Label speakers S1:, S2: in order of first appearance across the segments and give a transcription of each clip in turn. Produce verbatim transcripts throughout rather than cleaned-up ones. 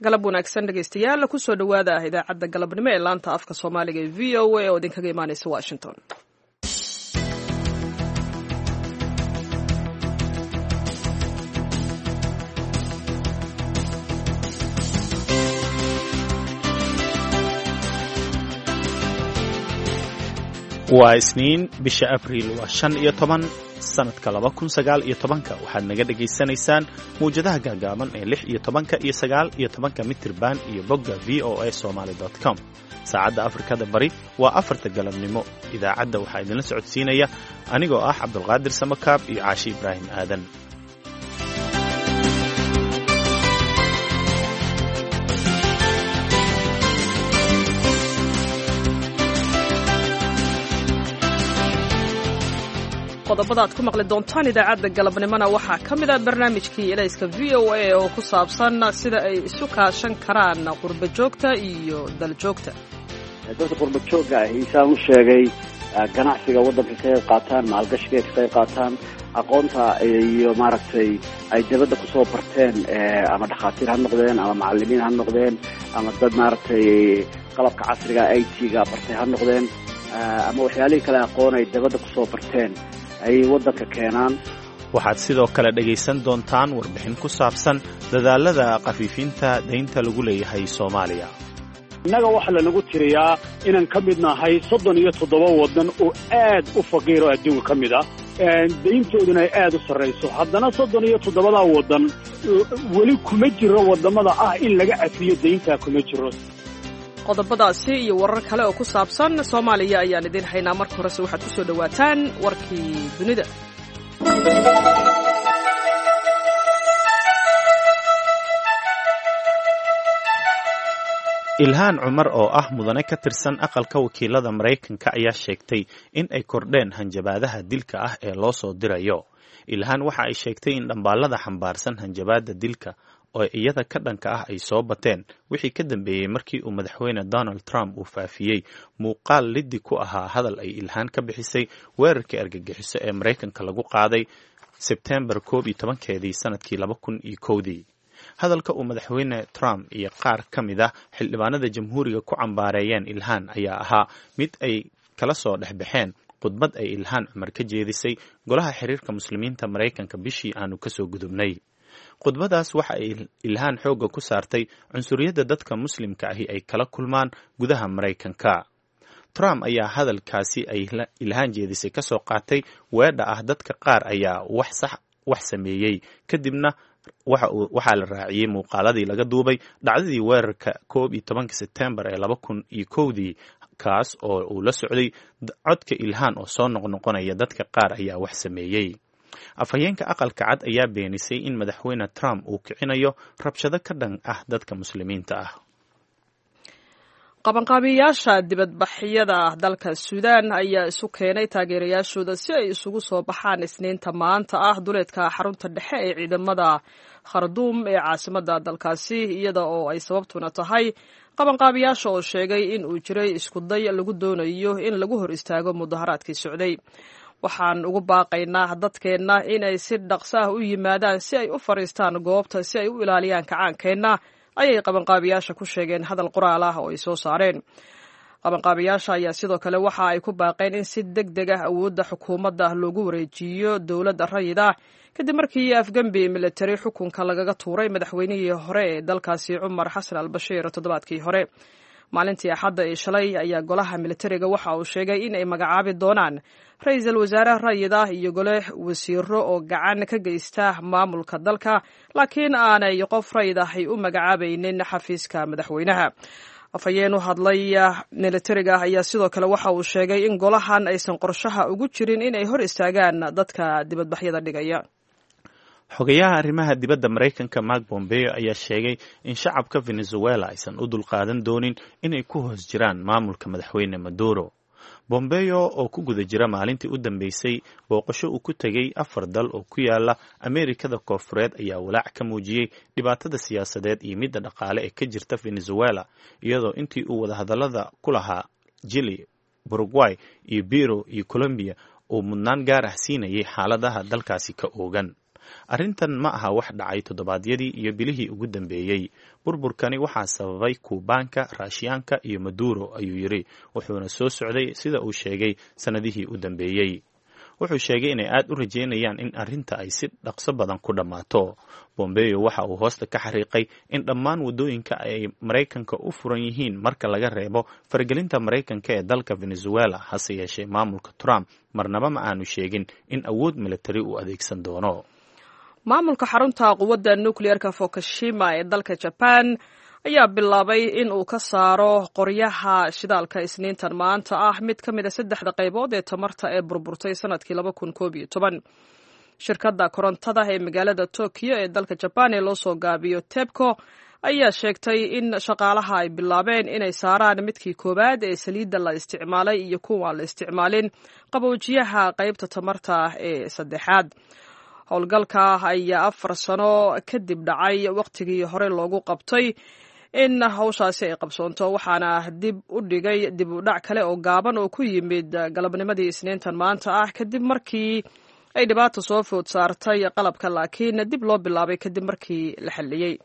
S1: Galab wanaagsan, dhegeystayaal. Kusoo dhowaada idaacadda galabnimo ee laanta afka Soomaaliga ee V O A oo idinkaga imaaneysa Washington.
S2: Waa Isniin, bisha Abriil waa shan iyo toban sanadka laba kun sagaal iyo tobanka. Waxaad naga dhegaysanaysaan mawjadaha gaagaaban ee lix iyo tobanka iyo sagaal iyo tobanka mitirban iyo bogga V O A Somaly com. Saacadda Afrikada Bari waa afarta galabnimo. Idaacadda waxaa idinla socodsiinaya anigoo ah Cabdulqaadir Samakaab iyo Caashi Ibraahim Aadan.
S1: Qodobada aad ku maqli doontaan idaacadda galabnimona waxaa ka mid ah barnaamijkii Elayska V O A oo ku saabsan sida ay isu kaashan karaan qurba joogta iyo daljoogta.
S3: Dadka qurba joogga ah, isaan u sheegay, ganacsiga waddanka ka qayb qaataan, maalgashiga ka qayb qaataan, aqoonta iyo maaragtay ay dibadda kusoo barteen, ama dhakhaatiir ha noqdeen ama macalimiin ha noqdeen ama dad maaragtay qalabka casriga I T-ga bartay ha noqdeen ama waxyaalihii kale aqoon ay dibadda kusoo barteen ayay waddanka keenaan.
S2: Waxaad sidoo kale dhegaysan doontaan warbixin ku saabsan dadaalada khafiifinta daynta lagu leeyahay Soomaaliya.
S4: Innaga waxaa lanagu tiriyaa inaan ka mid nahay soddon iyo toddoba waddan oo aad u faqiir oo adduunka ka mid ah, dayntooduna ay aad u sarrayso. Haddana soddon iyo toddobadaa waddan weli kuma jiro waddamada ah in laga cafiyo dayntaa, kuma jiro.
S1: Qodobadaasi iyo warar kale oo ku saabsan Soomaaliya ayaan idiin haynaa. Marka horese waxaad ku soo dhowaataan warkii dunida.
S2: Ilhaan Cumar oo ah mudane ka tirsan Aqalka Wakiilada Maraykanka ayaa sheegtay in ay kordheen hanjabaadaha dilka ah ee loo soo dirayo. Ilhaan waxa ay sheegtay in dhambaalada xambaarsan hanjabaada dilka oo iyada ka dhanka ah ay soo bateen wixii ka dambeeyey markii uu Madaxweyne Donald Trump uu faafiyey muuqaal liddi ku ahaa hadal ay Ilhaan ka bixisay weerarkii argagixiso ee Maraykanka lagu qaaday Sebtembar koob iyo tobankeedii sanadkii laba kun iyo kowdii. Hadalka uu Madaxweyne Trump iyo qaar ka mid ah xildhibaanada Jamhuuriga ku cambaareeyeen Ilhaan ayaa ahaa mid ay kala soo dhexbaxeen khudbad ay Ilhaan Cumar ka jeedisay Golaha Xiriirka Muslimiinta Maraykanka bishii aanu kasoo gudubnay. Khudbadaas waxa ay Ilhaan xoogga ku saartay cunsuriyadda dadka Muslimka ahi ay kala kulmaan gudaha Maraykanka. Trump ayaa hadalkaasi ay Ilhaan jeedisay kasoo qaatay weedha ah "dadka qaar ayaa wax sax wax sameeyey", kadibna waxaa la raaciyey muuqaaladii laga duubay dhacdadii weerarka koob iyo tobanka Sebtembar ee laba kun iyo kowdii, kaas oo uu la socday codka Ilhaan oo soo noqnoqonaya "dadka qaar ayaa wax sameeyey". Afhayeenka Aqalka Cad ayaa beenisay in Madaxweyne Trump uu kicinayo rabshado ka dhan ah dadka Muslimiinta ah.
S1: Qabanqaabiyayaasha dibadbaxyada dalka Suudaan ayaa isu keenay taageerayaashooda si ay isugu soo baxaan Isniinta maanta ah duleedka xarunta dhexe ee ciidamada Kharduum ee caasimadda dalkaasi, iyada oo ay sababtuna tahay qabanqaabiyaasha oo sheegay in uu jiray iskuday lagu doonayo in lagu hor istaago mudaharaadkii socday. "Waxaan ugu baaqaynaa dadkeenna inay si dhaqso ah u yimaadaan si ay u fadhiistaan goobta si ay u ilaaliyaan kacaankeenna," ayay qabanqaabiyaasha ku sheegeen hadal qoraal ah oo ay soo saareen. Qabanqaabiyaasha ayaa sidoo kale waxa ay ku baaqeen in si deg deg ah awoodda xukuumadda loogu wareejiyo dowladda rayid ah, kadib markii afgembi militari xukunka lagaga tuuray madaxweynihii hore ee dalkaasi Cumar Xasan al Bashiir toddobaadkii hore. Maalintii Axadda ee shalay ayaa golaha militariga waxa uu sheegay in ay magacaabi doonaan ra-iisul wasaare rayid ah iyo gole wasiiro oo gacan ka geysta maamulka dalka, laakiin aanay qof rayid ahi u magacaabaynin xafiiska madaxweynaha. Afhayeen u hadlay militariga ayaa sidoo kale waxa uu sheegay in golahan aysan qorshaha ugu jirin in ay hor istaagaan dadka dibadbaxyada dhigaya.
S2: Xogayaha arrimaha dibadda Maraykanka Mark Bombeo ayaa sheegay in shacabka Venezuela aysan u dulqaadan doonin inay ku hoos jiraan maamulka Madaxweyne Maduro. Bombeo oo ku guda jira maalintii u dambeysay booqasho uu ku tegey afar dal oo ku yaala Ameerikada Koofureed ayaa walaac ka muujiyey dhibaatada siyaasadeed iyo midda dhaqaale ee ka jirta Venezuela, iyadoo intii uu wadahadallada ku lahaa Jili, Uruguay iyo Peru iyo Colombia uu mudnaan gaar ah siinayay xaaladaha dalkaasi ka oogan. Arrintan ma aha wax dhacay toddobaadyadii iyo bilihii ugu dambeeyey. Burburkani waxaa sababay Kuubaanka, Raashiyaanka iyo Maduro, ayuu yidhi, wuxuuna soo socday, sida uu sheegay, sannadihii u dambeeyey. Wuxuu sheegay inay aad u rajeynayaan in arrinta ay si dhaqso badan ku dhammaato. Bombeo waxa uu hoosta ka xariiqay in dhammaan waddooyinka ay Maraykanka u furan yihiin marka laga reebo faragelinta Maraykanka ee dalka Venezuela. Hase yeeshee, maamulka Trump marnaba ma aanu sheegin in awood militari uu adeegsan doono.
S1: Maamulka xarunta quwadda nukliyeerka Fukushima ee dalka Jaban ayaa bilaabay in uu ka saaro qoryaha shidaalka Isniintan maanta ah mid ka mid a saddexda qaybood ee tamarta ee burburtay sanadkii laba kun koob iyo toban. Shirkadda korontada ee magaalada Tokyo ee dalka Jaban ee loo soo gaabiyo TEPCO ayaa sheegtay in shaqaalaha ay bilaabeen inay saaraan midkii koowaad ee saliidda la isticmaalay iyo kuwaan la isticmaalin qaboojiyaha qaybta tamarta ee saddexaad. Howlgalka ayaa afar sano kadib dhacay wakhtigii hore loogu qabtay in hawshaasi ay qabsoonto, waxaana dib u dhigay dib u dhac kale oo gaaban oo ku yimid galabnimadii Isniintan maanta ah kadib markii ay dhibaata soo food saartay qalabka, laakiin dib loo bilaabay kadib markii la xalliyey.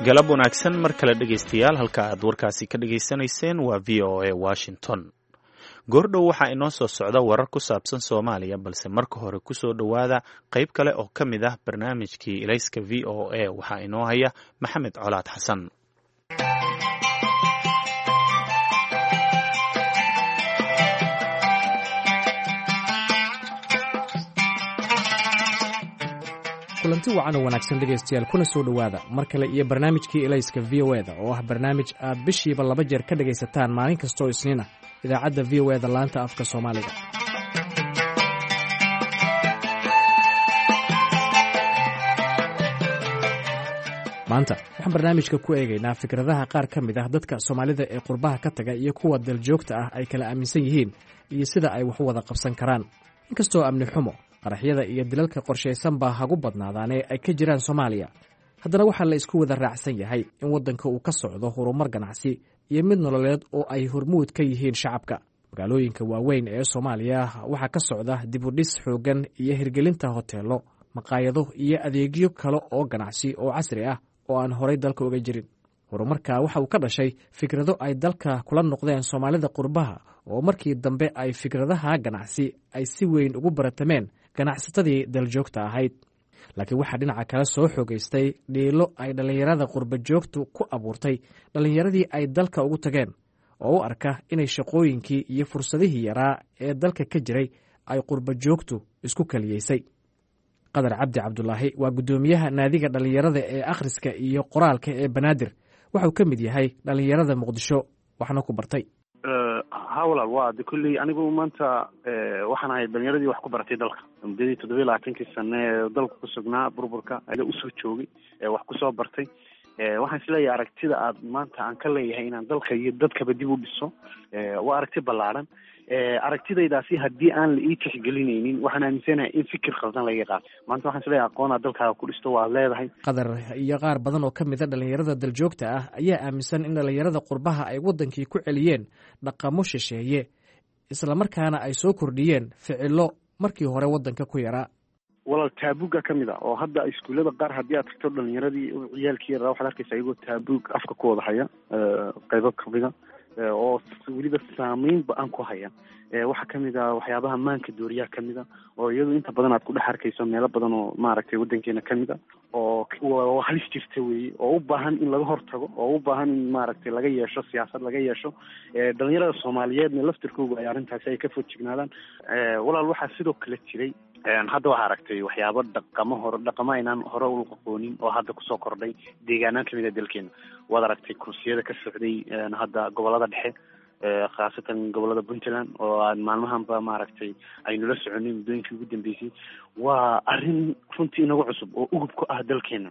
S2: Galab wanaagsan mar kale, dhegaystayaal. Halka aad warkaasi ka dhegaysanayseen waa V O A Washington. Goordhow waxaa inoo soo socda warar ku saabsan Soomaaliya, balse marka hore kusoo dhowaada qayb kale oo ka mid ah barnaamijkii Ilayska V O A. Waxaa inoo haya Maxamed Colaad Xasan.
S5: Kulanti wacan oo wanaagsan, dhegaystayaal, kuna soo dhowaada mar kale iyo barnaamijkii Ilayska V O eda, oo ah barnaamij aad bishiiba laba jeer ka dhegaysataan maalin kasta oo Isniin ah idaacadda V O eda laanta afka Soomaaliga. Maanta waxaan barnaamijka ku eegaynaa fikradaha qaar ka mid ah dadka Soomaalida ee qurbaha ka taga iyo kuwa daljoogta ah ay kala aaminsan yihiin iyo sida ay wax u wada qabsan karaan. Inkastoo amni xumo, qaraxyada iyo dilalka qorshaysan baa hagu badnaadaanee ay ka jiraan Soomaaliya, haddana waxaa la isku wada raacsan yahay in waddanka uu ka socdo horumar ganacsi iyo mid nololeed oo ay hormuud ka yihiin shacabka. Magaalooyinka waaweyn ee Soomaaliya waxaa ka socda dibudhis xooggan iyo hirgelinta hoteello, maqaayado iyo adeegyo kale oo ganacsi oo casri ah oo aan horay dalka uga jirin. Horumarka waxa uu ka dhashay fikrado ay dalka kula noqdeen Soomaalida qurbaha, oo markii dambe ay fikradaha ganacsi ay si weyn ugu baratameen ganacsatadii daljoogta ahayd. Laakiin waxaa dhinaca kale soo xoogaystay dhiilo ay dhallinyarada qurba joogtu ku abuurtay dhallinyaradii ay dalka ugu tageen, oo u arka inay shaqooyinkii iyo fursadihii yaraa ee dalka ka jiray ay qurba joogtu isku kaliyeysay. Qadar Cabdi Cabdulaahi waa guddoomiyaha naadiga dhallinyarada ee akhriska iyo qoraalka ee Banaadir. Waxuu ka mid yahay dhallinyarada Muqdisho waxna ku bartay.
S6: Ha walaal, waa de kulley anigu maanta waxaan ahay dhalinyaradii wax ku baratay dalka muddadii toddoba iyo labaatankii sane ee dalka ku sugnaa, burburka usoo joogay, wax kusoo bartay. Waxaan isleeyahay aragtida aad maanta aan ka leeyahay inaan dalka iyo dadkaba dib u dhiso waa aragti ballaaran. Aragtidaydaasi haddii aan la ii tixgelinaynin, waxaan aaminsanahay in fikir khaldan laga qaato. Maanta waxaan isleeyahay aqoon aad dalkaaga ku dhisto waad leedahay.
S5: Qadar iyo qaar badan oo ka mid a dhallinyarada daljoogta ah ayaa aaminsan in dhallinyarada qurbaha ay waddankii ku celiyeen dhaqamo shisheeye, islamarkaana ay soo kordhiyeen ficillo markii hore waddanka ku yaraa.
S6: Walaal, taabuga ka mid a oo hadda iskuullada qaar haddii aad tagto, dhalinyaradii ciyaalkii yaraa waxaad arkaysa iyagoo taabuug afka ku wada haya, qaybo kamida oo weliba saameyn ba-an ku haya. Waxaa kamid a waxyaabaha maanka dooriyaha kamid a, oo iyadu inta badan aad ku dhex arkayso meelo badan oo maaragtay waddankeena kamid a, oo halis jirta weeye, oo u baahan in laga hortago, oo u baahan in maaragtay laga yeesho siyaasad laga yeesho, dhalinyarada Soomaaliyeedna laftirkoogu ay arrintaasi ay ka foojignaadaan. Walaal, waxaa sidoo kale jiray hadda waxaa aragtay waxyaabo dhaqamo hore, dhaqamo aynaan hore u aqoonin oo hadda kusoo kordhay deegaanaan kamid a dalkeena. Waad aragtay kursiyada ka socday hadda gobolada dhexe, khaasatan gobolada Puntland, oo aan maalmahanba maaragtay aynula soconay muddooyinkii ugu dambeysay. Waa arrin runtii inagu cusub oo ugub ku ah dalkeena.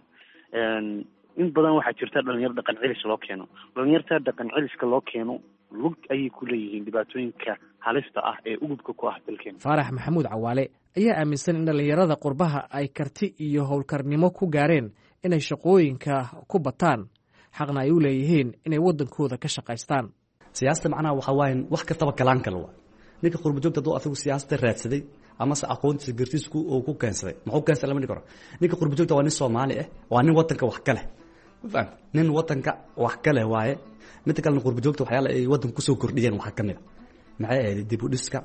S6: In badan waxaa jirta dhalinyaro dhaqan celis loo keeno. Dhalinyarta dhaqan celiska loo keeno lug ayay ku leeyihiin dhibaatooyinka halista ah ee ugubka ku ah dalkeena.
S5: Faarax Maxamuud Cawaale ayaa aaminsan in dhallinyarada qurbaha ay karti iyo howlkarnimo ku gaareen inay shaqooyinka ku bataan, xaqna ay u leeyihiin inay waddankooda ka shaqaystaan.
S7: Siyaasada macnaha waxaa waaye wax kastaba galaan kale waa ninka qurbajoogta hadduu asagu siyaasada raadsaday amase aqoontiisa gartiisa uu ku keensaday, muxuu keensaday lama dhihi karo. Ninka qurbajoogta waa nin Soomaali ah, waa nin wadanka wax ka leh, ma fahamtay? Nin wadanka wax ka leh waaye. Midda kalena, qurbajoogta waxyaala ay wadanka kusoo kordhiyeen waxaa ka mid a maxay ahayd dib u dhiska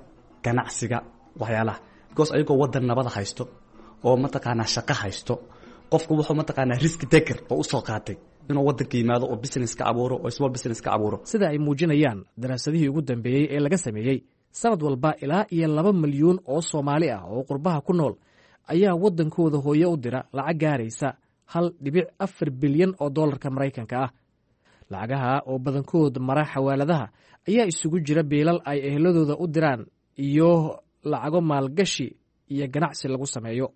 S7: ganacsiga, waxyaalaha, because ayagoo wadan nabada haysto oo mataqaanaa shaqo haysto, qofku wuxuu mataqaanaa risk taker oo usoo qaatay inuu wadanka yimaado oo business ka abuuro oo small business ka abuuro.
S5: Sida ay muujinayaan daraasadihii ugu dambeeyey ee laga sameeyey, sanad walba ilaa iyo laba milyuun oo Soomaali ah oo qurbaha ku nool ayaa waddankooda hooye u dira lacag gaaraysa hal dhibic afar bilyan oo dollarka Maraykanka ah. Lacagaha oo badankood mara xawaaladaha ayaa isugu jira biilal ay eheladooda u diraan iyo lacago maalgashi iyo ganacsi lagu sameeyo.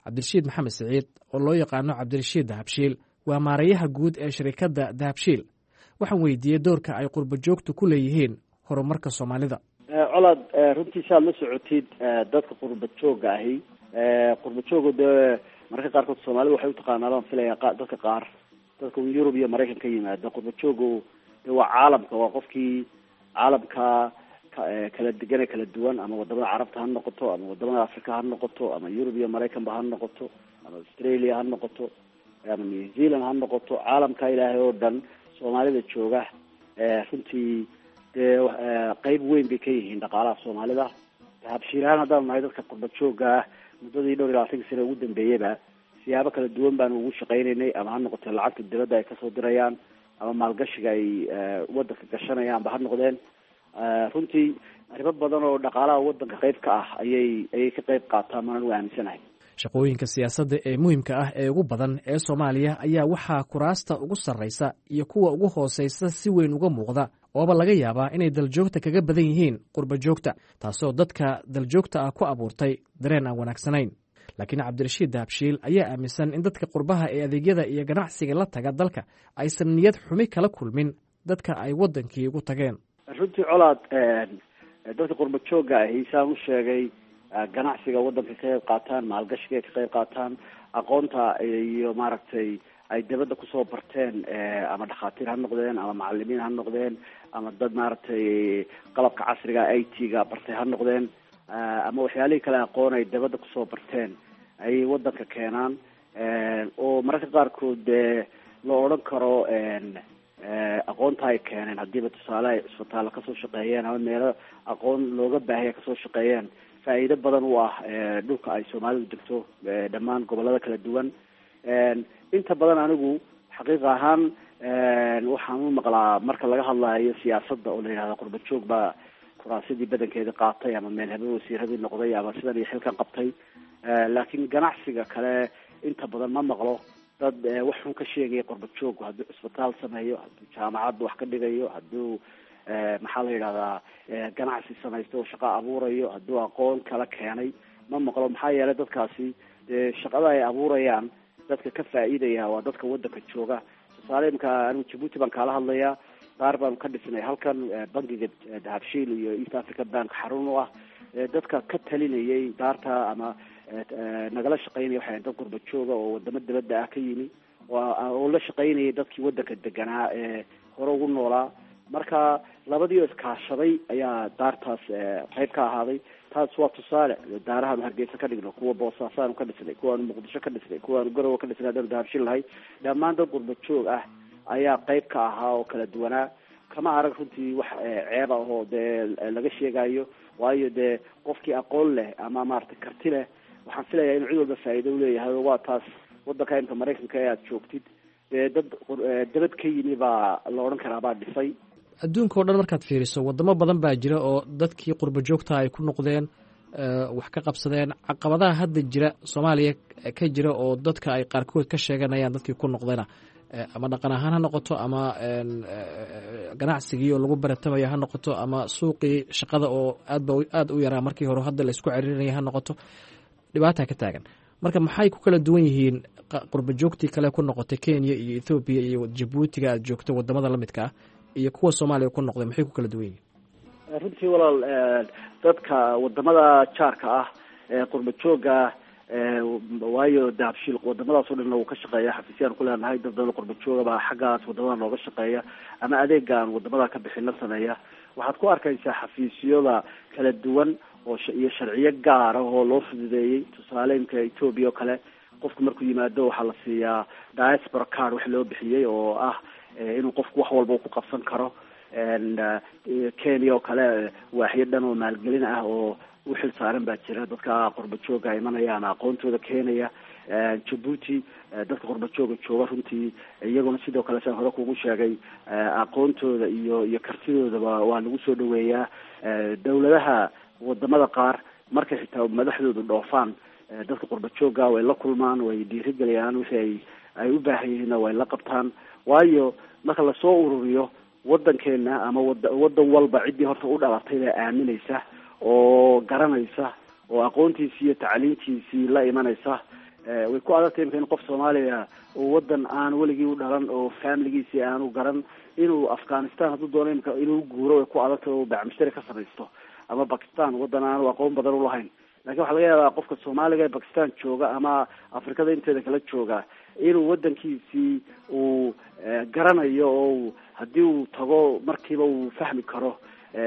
S5: Cabdirashiid Maxamed Siciid oo loo yaqaano Cabdirashiid Dahabshiil waa maarayaha guud ee shirikadda Dahabshiil. Waxaan weydiiyey doorka ay qurba joogtu ku leeyihiin horumarka Soomaalida.
S3: Colaad, runtii saad la socotid, dadka qurba joogga ahi, qurba jooga dee mararka qaarkood Soomaalida waxay utaqaanaa, baan filaya, dadka qaar dadka Yurub iyo Maraykan ka yimaada. Qurba joogu de waa caalamka, waa qofkii caalamka kala degan ee kala duwan, ama wadamada Carabta ha noqoto, ama wadamada Africa ha noqoto, ama Yurub iyo Maraykanba ha noqoto, ama Australia ha noqoto, ama New Zealand ha noqoto. Caalamka Ilaahay oo dhan Soomaalida jooga runtii dee qeyb weyn bay ka yihiin dhaqaalaha Soomaalida. Dahabshiilahaan haddaanu nahay dadka qurba joogga ah, muddadii dhowr iyo labaatanka sane ugu dambeeyeyba siyaabo kala duwan baanu ugu shaqaynaynay, ama ha noqoto lacagta dibadda ay kasoo dirayaan ama maalgashiga ay wadanka gashanayaanba ha noqdeen. Runtii arrimo badan oo dhaqaalaha wadanka qayb ka ah ayay ayay ka qayb qaataan, maana u aaminsanahay.
S5: Shaqooyinka siyaasadda ee muhiimka ah ee ugu badan ee Soomaaliya ayaa waxaa kuraasta ugu sarraysa iyo kuwa ugu hooseysa si weyn uga muuqda, ooba laga yaabaa inay daljoogta kaga badan yihiin qurba joogta, taasoo dadka daljoogta ah ku abuurtay dareen aan wanaagsanayn. Laakiin Cabdirashiid Dahabshiil ayaa aaminsan in dadka qurbaha ee adeegyada iyo ganacsiga la taga dalka aysan niyad xumi kala kulmin dadka ay waddankii ugu tageen.
S3: Runtii Colaad, dadka qurba joogga ahi, saan u sheegay, ganacsiga waddanka ka qayb qaataan, maalgashiga ka qayb qaataan, aqoonta iyo maaragtay ay dibadda kusoo barteen, ama dhakhaatiir ha noqdeen, ama macalimiin ha noqdeen, ama dad maaragtay qalabka casriga I T-ga bartay ha noqdeen, ama waxyaalihii kale aqoon ay dibadda kusoo barteen ayay waddanka keenaan, oo mararka qaarkood dee la odhan karo aqoonta ay keeneen, haddiiba tusaale ay cisbitaalla kasoo shaqeeyeen ama meelo aqoon looga baahaya kasoo shaqeeyeen, faa'iido badan u ah dhulka ay Soomaalidu degto, dhammaan gobollada kala duwan. Inta badan anigu xaqiiqa ahaan waxaan u maqlaa marka laga hadlayo siyaasadda oo la yidhahda qurba joog baa kuraasidii badankeeda qaatay, ama meel habe wasiiradii noqday, ama sidan iyo xilkan qabtay, laakiin ganacsiga kale inta badan ma maqlo dad wax xun ka sheegaya qurba joog, hadduu cisbitaal sameeyo, hadduu jaamacad wax ka dhigayo, hadduu maxaa la yidhahdaa ganacsi samaysto oo shaqo abuurayo, hadduu aqoon kala keenay, ma maqlo. Maxaa yeelay dadkaasi dee shaqada ay abuurayaan dadka ka faa'iidaya waa dadka waddanka jooga. Tusaale, imka anigu Jabuuti baan kaala hadlayaa. Daar baanu ka dhisnay halkan bangiga Dahabshiil iyo East Africa Bank xarun u ah. Dadka ka talinayay daarta ama nagala shaqaynaya waxay dad qurba jooga oo wadamo dibadda ah ka yimi oo la shaqaynayay dadkii waddanka deganaa ee hore ugu noolaa. Marka labadii oo iskaashaday ayaa daartaas qayb ka ahaaday. Taas waa tusaale. Daarahaanu Hargeysa ka dhigno, kuwa Boosaasaanu ka dhisnay, kuwaanu Muqdisho ka dhisnay, kuwaanu Garowe ka dhisnay, haddaanu Dahabshiil lahay, dhammaan dad qurba joog ah ayaa qayb ka ahaa oo kala duwanaa. Kama arag runtii wax ceeb ah oo dee laga sheegayo, waayo dee qofkii aqoon leh ama maaragtay karti leh, waxaan filayaa inuu cid walba faa'iido uleeyahay. Oo waa taas waddanka imka Maraykanka ee aada joogtid dee dad dabad ka yimi baa la odhan karaa baa dhisay.
S5: Adduunka o dhan markaad fiiriso, waddamo badan baa jira oo dadkii qurba joogta ay ku noqdeen, wax ka qabsadeen. Caqabadaha hadda jira Soomaaliya ka jira oo dadka ay qaarkood ka sheeganayaan dadkii ku noqdayna, ama dhaqan ahaan ha noqoto, ama ganacsigii oo lagu baratamayo ha noqoto, ama suuqii shaqada oo aadba aada u yaraa markii hore hadda laysku ceririnaya ha noqoto, dhibaata ka taagan. Marka maxay ku kala duwan yihiin qurba joogtii kale ku noqotay Kenya iyo Ethoobiya iyo Jabuutiga aad joogto, wadamada lamidka ah, iyo kuwa Soomaaliya ku noqday? Maxay ku kala duwan yihiin?
S3: Runtii walaal, dadka wadamada jaarka ah ee qurba joogga Waayo Dahabshiil wadamadaas o dhanna wuu ka shaqeeya, xafiisyaan ku leenahay, dad badan qurba jooga baa xaggaas wadamada nooga shaqeeya ama adeega aan wadamada ka bixin la sameeya. Waxaad ku arkaysaa xafiisyada kala duwan oo iyo sharciyo gaara oo loo fududeeyey. Tusaale imka Ethoobia oo kale, qofku markuu yimaado waxaa la siiyaa diaspora card wax loo bixiyey oo ah inuu qofku wax walba ku qabsan karo. Kenya oo kale waaxyo dhan oo maalgelin ah oo uxil saaran baa jira, dadka qurba jooga imanaya ama aqoontooda keenaya. Djibouti dadka qurba jooga jooga runtii iyaguna sidoo kale saan hore kugu sheegay aqoontooda iyo iyo kartidoodaba waa lagu soo dhaweeyaa. Dawladaha wadamada qaar markay xitaa madaxdoodu dhoofaan, dadka qurba jooga way la kulmaan, way dhiirigeliyaan, wixii ay ay u baahan yihiinna way la qabtaan. Waayo marka lasoo ururiyo wadankeena ama wada wadan walba ciddii horta u dhalatay baa aaminaysa oo garanaysa oo aqoontiisii iyo tacliintiisii la imanaysa. Way ku adagtay imka in qof Soomaaliya oo wadan aan weligii u dhalan oo familigiisii aanu garan inuu Afghanistan hadduu doono imka inuu guuro, way ku adagtay oo bacmushtari ka samaysto, ama Bakistan wadan aanu aqoon badan ulahayn. Lakin waxaa laga yaabaa qofka Soomaaliga ee Bakistan jooga ama Afrikada inteeda kala jooga inuu wadankiisii uu garanayo oo haddii uu tago markiiba uu fahmi karo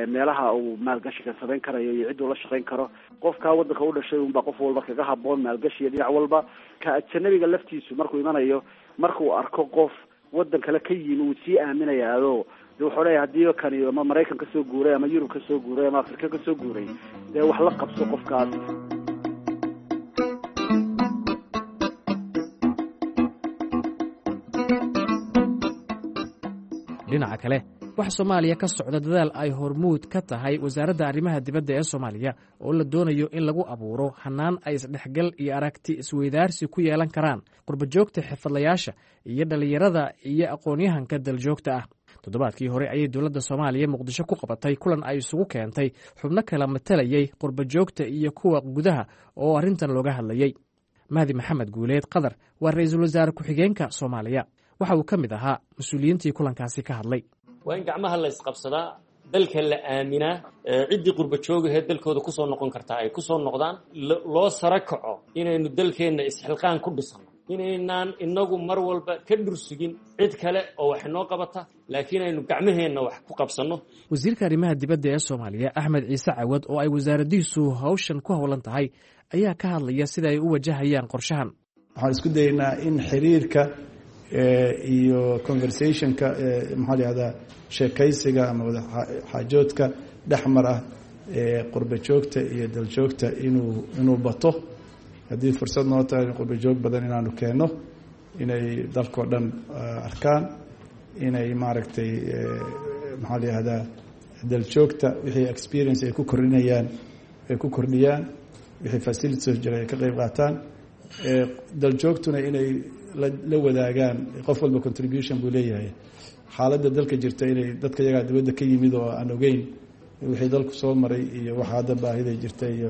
S3: meelaha uu maalgashiga samayn karayo iyo cidduu la shaqayn karo. Qofkaa wadanka u dhashay unbaa qof walba kaga haboon maalgashiga dhinac walba. Ka ajanabiga laftiisu markuu imanayo, markuu arko qof wadan kale ka yimi, wuu sii aaminayaado de wuxuu leeyahay hadii kani ama Maraykan kasoo guuray ama Yurub kasoo guuray ama Afrika kasoo guuray, dee wax la qabso qofkaas.
S5: Dhinaca kale, waxaa Soomaaliya ka socda dadaal ay hormuud ka tahay Wasaaradda Arrimaha Dibadda ee Soomaaliya oo la doonayo in lagu abuuro hannaan ay isdhexgal iyo aragti isweydaarsi ku yeelan karaan qurbajoogta, xirfadlayaasha iyo dhallinyarada iyo aqoon-yahanka daljoogta ah. Toddobaadkii hore ayay dowladda Soomaaliya Muqdisho ku qabatay kulan ay isugu keentay xubno kala matalayay qurbajoogta iyo kuwa gudaha oo arrintan looga hadlayey. Mahdi Maxamed Guuleed Qadar waa ra-iisul wasaare ku-xigeenka Soomaaliya. Waxa uu ka mid ahaa mas-uuliyiintii kulankaasi ka hadlay.
S8: Waa in gacmaha la isqabsadaa, dalka la aaminaa, ciddii qurba joogahee dalkooda kusoo noqon kartaa ay kusoo noqdaan, loo sara kaco inaynu dalkeenna isxilqaan ku dhisano, inaynaan inagu mar walba ka dhursugin cid kale oo wax inoo qabata, laakiin aynu gacmaheenna wax ku qabsanno.
S5: Wasiirka arrimaha dibadda ee Soomaaliya Axmed Ciise Cawad oo ay wasaaradiisu hawshan ku howlan tahay ayaa ka hadlaya sida ay u wajahayaan qorshahan.
S9: Waxaan isku dayaynaa in xiriirka iyo conversationka, maxaa la yihahdaa, sheekaysiga ama wada xaajoodka dhexmar ah ee qurba joogta iyo daljoogta inuu inuu bato. Haddii fursad noo tahay in qurba joog badan inaanu keenno, inay dalkao dhan arkaan, inay maaragtay, maxaa la yihahdaa, daljoogta wixii experience ay ku kordhinayaan ay ku kordhiyaan, wixii facilities jira ay ka qeyb qaataan, daljoogtuna inay la wadaagaan. Qof walba contribution buu leeyahay xaaladda dalka jirta, inay dadka iyagaa dibadda ka yimid oo aan ogeyn wixii dalku soo maray iyo waxa hadda baahida jirta iyo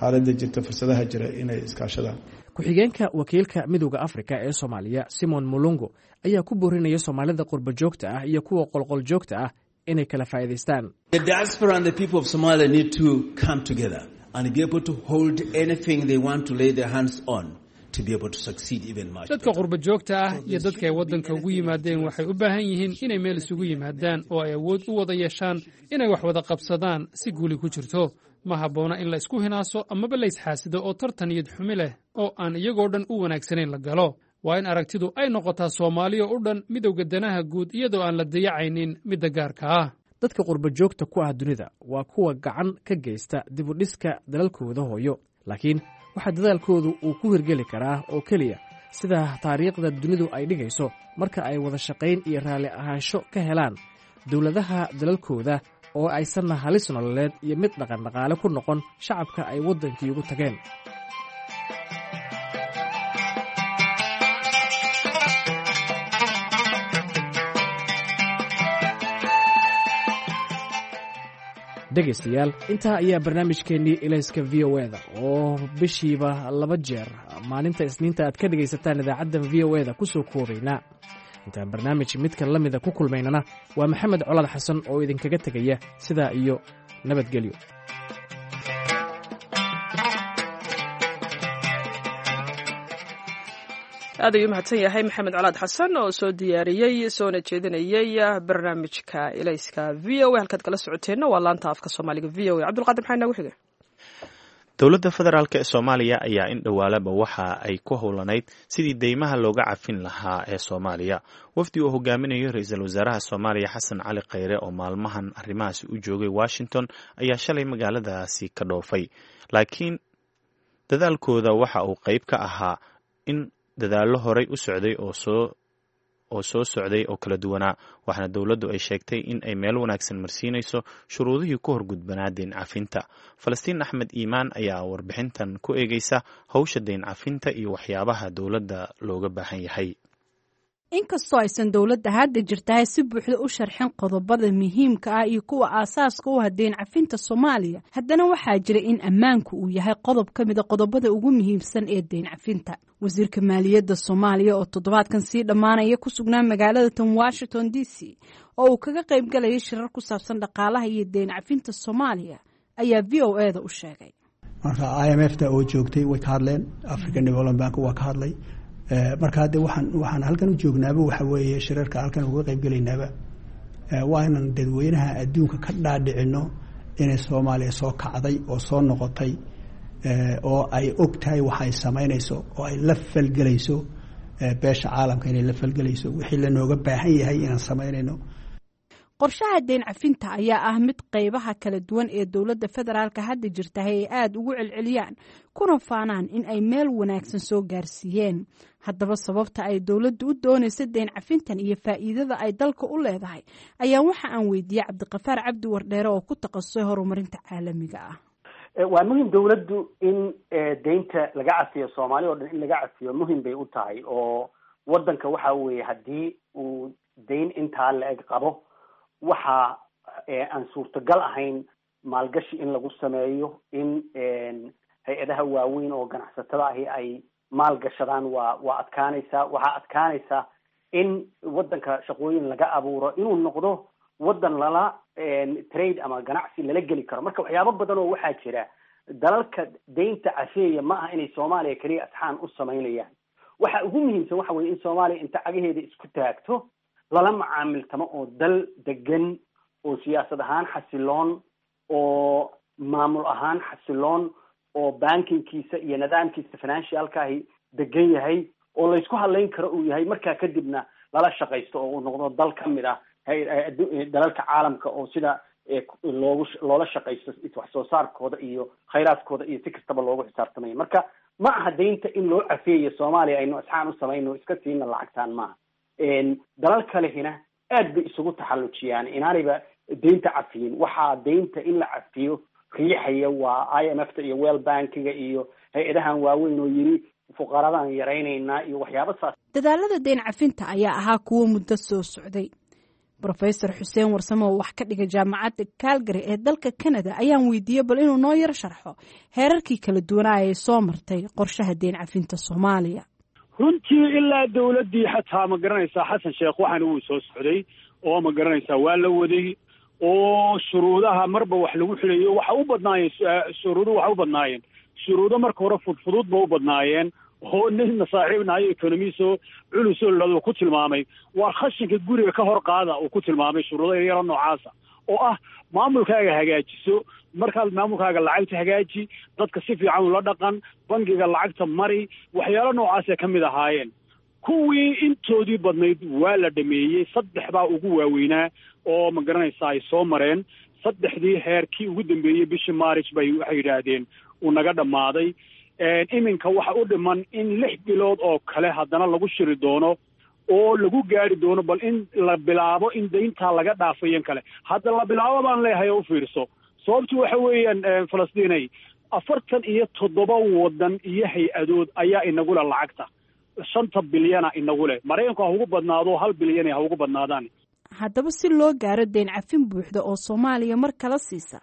S9: xaaladda jirta, fursadaha jira, inay iskaashadaan.
S5: Ku-xigeenka wakiilka Midowda Afrika ee Soomaaliya Simon Mulungu ayaa ku boorinaya Soomaalida qurba joogta ah iyo kuwa qolqol joogta ah inay kala faa'iidaystaan.
S10: The diaspora and the people of Somalia need to come together and be able to hold anything they want to lay their hands on.
S11: Dadka qurba joogta ah iyo dadka ay waddanka ugu yimaadeen waxay u baahan yihiin inay meel isugu yimaadaan oo ay awood u wada yeeshaan inay wax wada qabsadaan si guuli ku jirto. Ma habboona in la isku hinaaso amaba la isxaasido oo tartan iyad xumi leh oo aan iyagoo dhan u wanaagsanayn la galo. Waa in aragtidu ay noqotaa Soomaaliya u dhan, midowga danaha guud, iyadoo aan la dayacaynin midda gaarka ah.
S5: Dadka qurba joogta ku ah dunida waa kuwa gacan ka geysta dib u dhiska dalalkooda hooyo, laakiin waxaa dadaalkoodu uu ku hirgeli karaa oo keliya sida taariikhda dunidu ay dhigayso marka ay wada shaqayn iyo raalli ahaansho ka helaan dowladaha dalalkooda oo aysanna halis nololeed iyo mid dhaqandhaqaale ku noqon shacabka ay waddankii ugu tageen. Dhegaystayaal, intaa ayaa barnaamijkeennii Ilayska V O eda oo bishiiba laba jeer maalinta Isniinta aad ka dhegaysataan idaacadda V O eda ku soo koobaynaa. Intaan barnaamij midka la mida ku kulmaynana, waa Maxamed Colaad Xasan oo idinkaga tegaya sidaa iyo nabadgelyo.
S1: Aad ayuu mahadsan yahay Maxamed Colaad Xasan oo soo diyaariyey soona jeedinayey barnaamijka Ilayska V O A. Halkaad kala socoteenna waa laanta afka Soomaaliga V O A. Cabdulqaadir, maxaa inoogu xiga?
S2: Dowladda federaalk ee Soomaaliya ayaa in dhowaalaba waxa ay ku howlanayd sidii deymaha looga cafin lahaa ee Soomaaliya. Wafdi uu hogaaminayo ra-iisul wasaaraha Soomaaliya Xasan Cali Khayre oo maalmahan arrimahaasi u joogay Washington ayaa shalay magaaladaasi ka dhoofay, laakiin dadaalkooda waxa uu qeyb ka ahaa in dadaallo horay u socday oo soo oo soo socday oo kala duwanaa, waxaana dowladdu ay sheegtay in ay meel wanaagsan marsiinayso shuruudihii ku horgudbanaa deyn cafinta. Falastiin Axmed Iimaan ayaa warbixintan ku eegeysa howsha deyn cafinta iyo waxyaabaha dowladda looga baahan yahay.
S12: Inkastoo aysan dowladda hadda jirtahay si buuxda u sharxin qodobada muhiimka ah iyo kuwa aasaaska u ah deyn cafinta Soomaaliya, haddana waxaa jira in ammaanku uu yahay qodob ka mida qodobada ugu muhiimsan ee deyn cafinta. Wasiirka maaliyadda Soomaaliya oo toddobaadkan sii dhammaanaya ku sugnaa magaalada tan Washington D C oo uu kaga qayb galayay shirar ku saabsan dhaqaalaha iyo deyn cafinta Soomaaliya ayaa V O A da u sheegay.
S13: Marka I M F ta oo joogtay way ka hadleen, African Development Bank waa ka hadlay. Marka hadde waxaan waxaan halkan u joognaaba waxa weeye shirarka halkan uga qayb gelaynaaba waa inaan dadweynaha adduunka ka dhaadhicino inay Soomaaliya soo kacday oo soo noqotay, oo ay og tahay waxa ay samaynayso oo ay la falgelayso beesha caalamka, inay la falgelayso wixii lanooga baahan yahay inaan samaynayno.
S12: Qorshaha deyn cafinta ayaa ah mid qaybaha kala duwan ee dowladda federaalka hadda jirtahay ay aada ugu celceliyaan kuna faanaan in ay meel wanaagsan soo gaarsiiyeen. Haddaba sababta ay dowladdu u doonayso deyn cafintan iyo faa'iidada ay dalka u leedahay ayaa waxa aan weydiiyey Cabdiqafaar Cabdi Wardheere oo ku takhasusay horumarinta caalamiga ah.
S14: Waa muhim dowladdu in deynta laga cafiyo Soomaaliya oo dhan, in laga cafiyo muhim bay u tahay, oo waddanka waxa weeye haddii uu deyn intaa la-eg qabo waxa aan suurtagal ahayn maalgashi in lagu sameeyo, in hay-adaha waaweyn oo ganacsatada ahi ay maalgashadaan waa waa adkaanaysaa. Waxaa adkaanaysaa in waddanka shaqooyin laga abuuro, inuu noqdo waddan lala trade ama ganacsi lala geli karo. Marka waxyaabo badan oo waxaa jira dalalka deynta cafeeya ma aha inay Soomaaliya keliya asxaan u samaynayaan. Waxa ugu muhiimsan waxa weye in Soomaaliya inta cagaheeda isku taagto lala macaamiltamo oo dal degan oo siyaasad ahaan xasiloon oo maamul ahaan xasiloon oo bankingkiisa iyo nidaamkiisa financialkaahi degan yahay oo laysku hadlayn karo uu yahay. Markaa kadibna lala shaqaysto oo uu noqdo dal ka mid ah dalalka caalamka oo sida loogu loola shaqaysto wax soo saarkooda iyo khayraadkooda iyo si kastaba loogu xisaabtamaya. Marka ma aha deynta in loo cafeeyo Soomaaliya aynu asxaan u samayno iska siina lacagtaan maaha. Dalal kalehina aad bay isugu taxallujiyaan inaanayba deynta cafiyin. Waxaa deynta in la cafiyo riixaya waa I M F ta iyo World Bankiga iyo hay-adahan waaweyn oo yiri fuqaradan yaraynaynaa iyo waxyaaba saas.
S12: Dadaalada deyn cafinta ayaa ahaa kuwo muddo soo socday. Brofesor Xuseen Warsame oo wax ka dhigay jaamacadda Calgary ee dalka Canada ayaan weydiiyey bal inuu noo yar sharxo heerarkii kala duwanaa ay soo martay qorshaha deyn cafinta Soomaaliya.
S4: Runtii ilaa dowladdii xataa ma garanaysaa Xasan Sheekh waxaana wuu soo socday oo ma garanaysaa waa la waday oo shuruudaha marba wax lagu xilayo waxa u badnaayeen shuruudu waxa u badnaayeen shuruudo marka hore fudfudud ba u badnaayeen oo nin saaxiibnahayo economiso culusoo laduu ku tilmaamay waa khashinka guriga ka hor qaada uu ku tilmaamay shuruudo yaryaro noocaasa oo ah maamulkaaga hagaajiso, markaad maamulkaaga lacagta hagaaji, dadka si fiican ula dhaqan, bangiga lacagta mari, waxyaalo noocaasay ka mid ahaayeen. Kuwii intoodii badnayd waa la dhameeyey, saddex baa ugu waaweynaa oo ma garanaysaa ay soo mareen. Saddexdii heerkii ugu dambeeyey bishii Maaric bay waxay yidhaahdeen uu naga dhammaaday. Iminka waxa u dhiman in lix bilood oo kale haddana lagu shiri doono oo lagu gaari doono bal in la bilaabo in deyntaa laga dhaafayan kale. Hadda la bilaabo baan leeyahay oo u fiirso, sababtu waxa weeyaan Falastiinay afartan iyo toddoba waddan iyo hay-adood ayaa inagule lacagta shanta bilyana inagu leh. Maraykanku ha ugu badnaado hal bilyan ha ugu badnaadaan.
S12: Haddaba si loo gaaro deyn cafin buuxda oo Soomaaliya mar kala siisa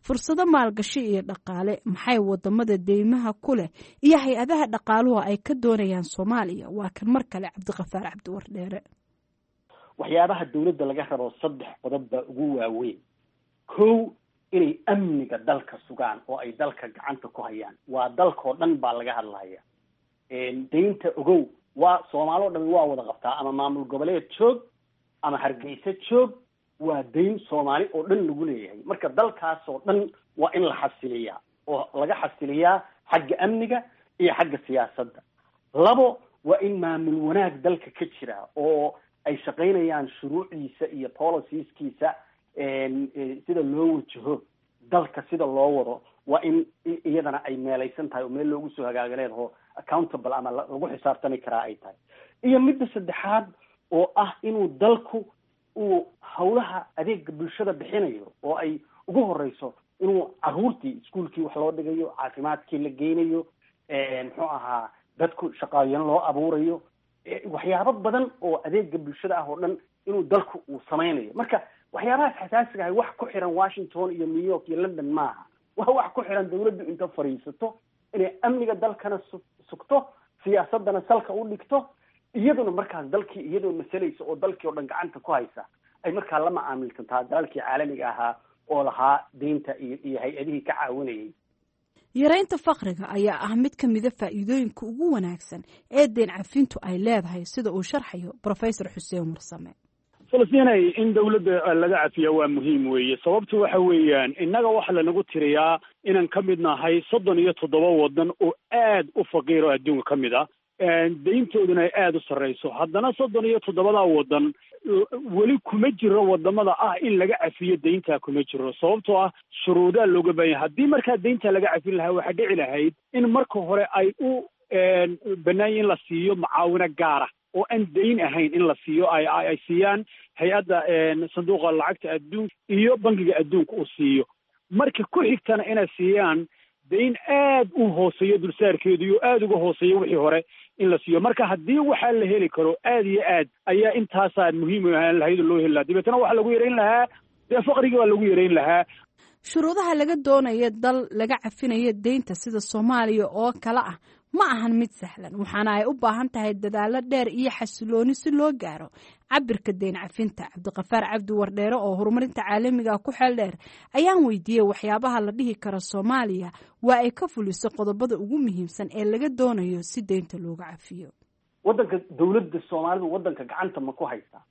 S12: fursado maalgashi iyo dhaqaale, maxay wadamada deymaha ku leh iyo hay-adaha dhaqaaluhu ay ka doonayaan Soomaaliya? Waa kan mar kale Cabdiqafaar Cabdi Wardheere.
S14: Waxyaabaha dowladda laga rabo saddex qodob baa ugu waaweyn. Kow, inay amniga dalka sugaan oo ay dalka gacanta ku hayaan. Waa dalkoo dhan baa laga hadlaya. Deynta ogow Waa Soomaali o dhami waa wada qabtaa, ama maamul goboleed joog ama Hargeysa joog, waa dayn Soomaali oo dhan lagu leeyahay. Marka dalkaas oo dhan waa in la xasiliyaa oo laga xasiliyaa xagga amniga iyo xagga siyaasadda. Labo, waa in maamul wanaag dalka ka jira oo ay shaqaynayaan shuruucdiisa iyo policieskiisa, sida loo wajaho dalka, sida loo wado, waa in iyadana ay meelaysan tahay oo meel loogu soo hagaaga leedaho, accountable ama lagu xisaabtami karaa ay tahay. Iyo midda saddexaad oo ah inuu dalku uu hawlaha adeega bulshada bixinayo, oo ay ugu horeyso inuu caruurtii iskuolkii wax loo dhigayo, caafimaadkii la geynayo, muxuu ahaa, dadku shaqaayan loo abuurayo, waxyaabo badan oo adeega bulshada ah oo dhan inuu dalku uu sameynayo. Marka waxyaabahaas xasaasiga ahay wax ku xiran Washington iyo New York iyo London maaha, waa wax ku xiran dawladdu inta fadhiisato inay amniga dalkana su sugto, siyaasadana salka u dhigto, iyaduna markaas dalkii iyadoo masalaysa oo dalkii oo dhan gacanta ku haysa ay markaa la macaamilsantaa dalalkii caalamiga ahaa oo lahaa deynta iyo iyo hay-adihii ka caawinayay.
S12: Yaraynta faqriga ayaa ah mid ka mida faa'iidooyinka ugu wanaagsan ee deen cafintu ay leedahay, sida uu sharxayo Professor Xuseen Warsame.
S4: Falastinay, in dawladda laga cafiya waa muhiim weeye. Sababtu waxa weeyaan, innaga waxa lanagu tiriyaa inaan ka mid nahay soddon iyo toddoba waddan oo aad u faqiir oo adduunka ka mid ah, deyntooduna ay aada u sarreyso. Haddana soddon iyo toddobadaa waddan weli kuma jiro wadamada ah in laga cafiyo deyntaa, kuma jiro, sababtoo ah shuruudaa looga baahan yahay. Haddii markaa deyntaa laga cafin lahaa, waxaa dhici lahayd in marka hore ay u banaanya in la siiyo macaawino gaara oo aan deyn ahayn, in la siiyo ay ay siiyaan hay-adda sanduuqa lacagta adduunka iyo bangiga adduunka uu siiyo. Marka ku xigtana inay siiyaan deyn aad u hooseeyo dulsaarkeedu iyo aada uga hooseeyo wixii hore in la siiyo. Marka haddii waxaa la heli karo, aad iyo aad ayaa intaasaa muhiim u ahaan lahayd oo loo heli lahaa. Dabeetana waxaa lagu yareyn lahaa dee faqrigii baa lagu yareyn lahaa.
S12: Shuruudaha laga doonaya dal laga cafinayo deynta sida Soomaaliya oo kale ah ma ahan mid sahlan, waxaana ay u baahan tahay dadaallo dheer iyo xasilooni si loo gaaro cabirka deyn cafinta. Cabdiqafaar Cabdi Wardheere oo horumarinta caalamiga ku xeel dheer ayaan weydiiyey waxyaabaha la dhihi karo Soomaaliya waa ay ka fuliso qodobada ugu muhiimsan ee laga doonayo si deynta looga cafiyo.
S14: Waddanka dawladda Soomaalidu waddanka gacanta ma ku haysaa?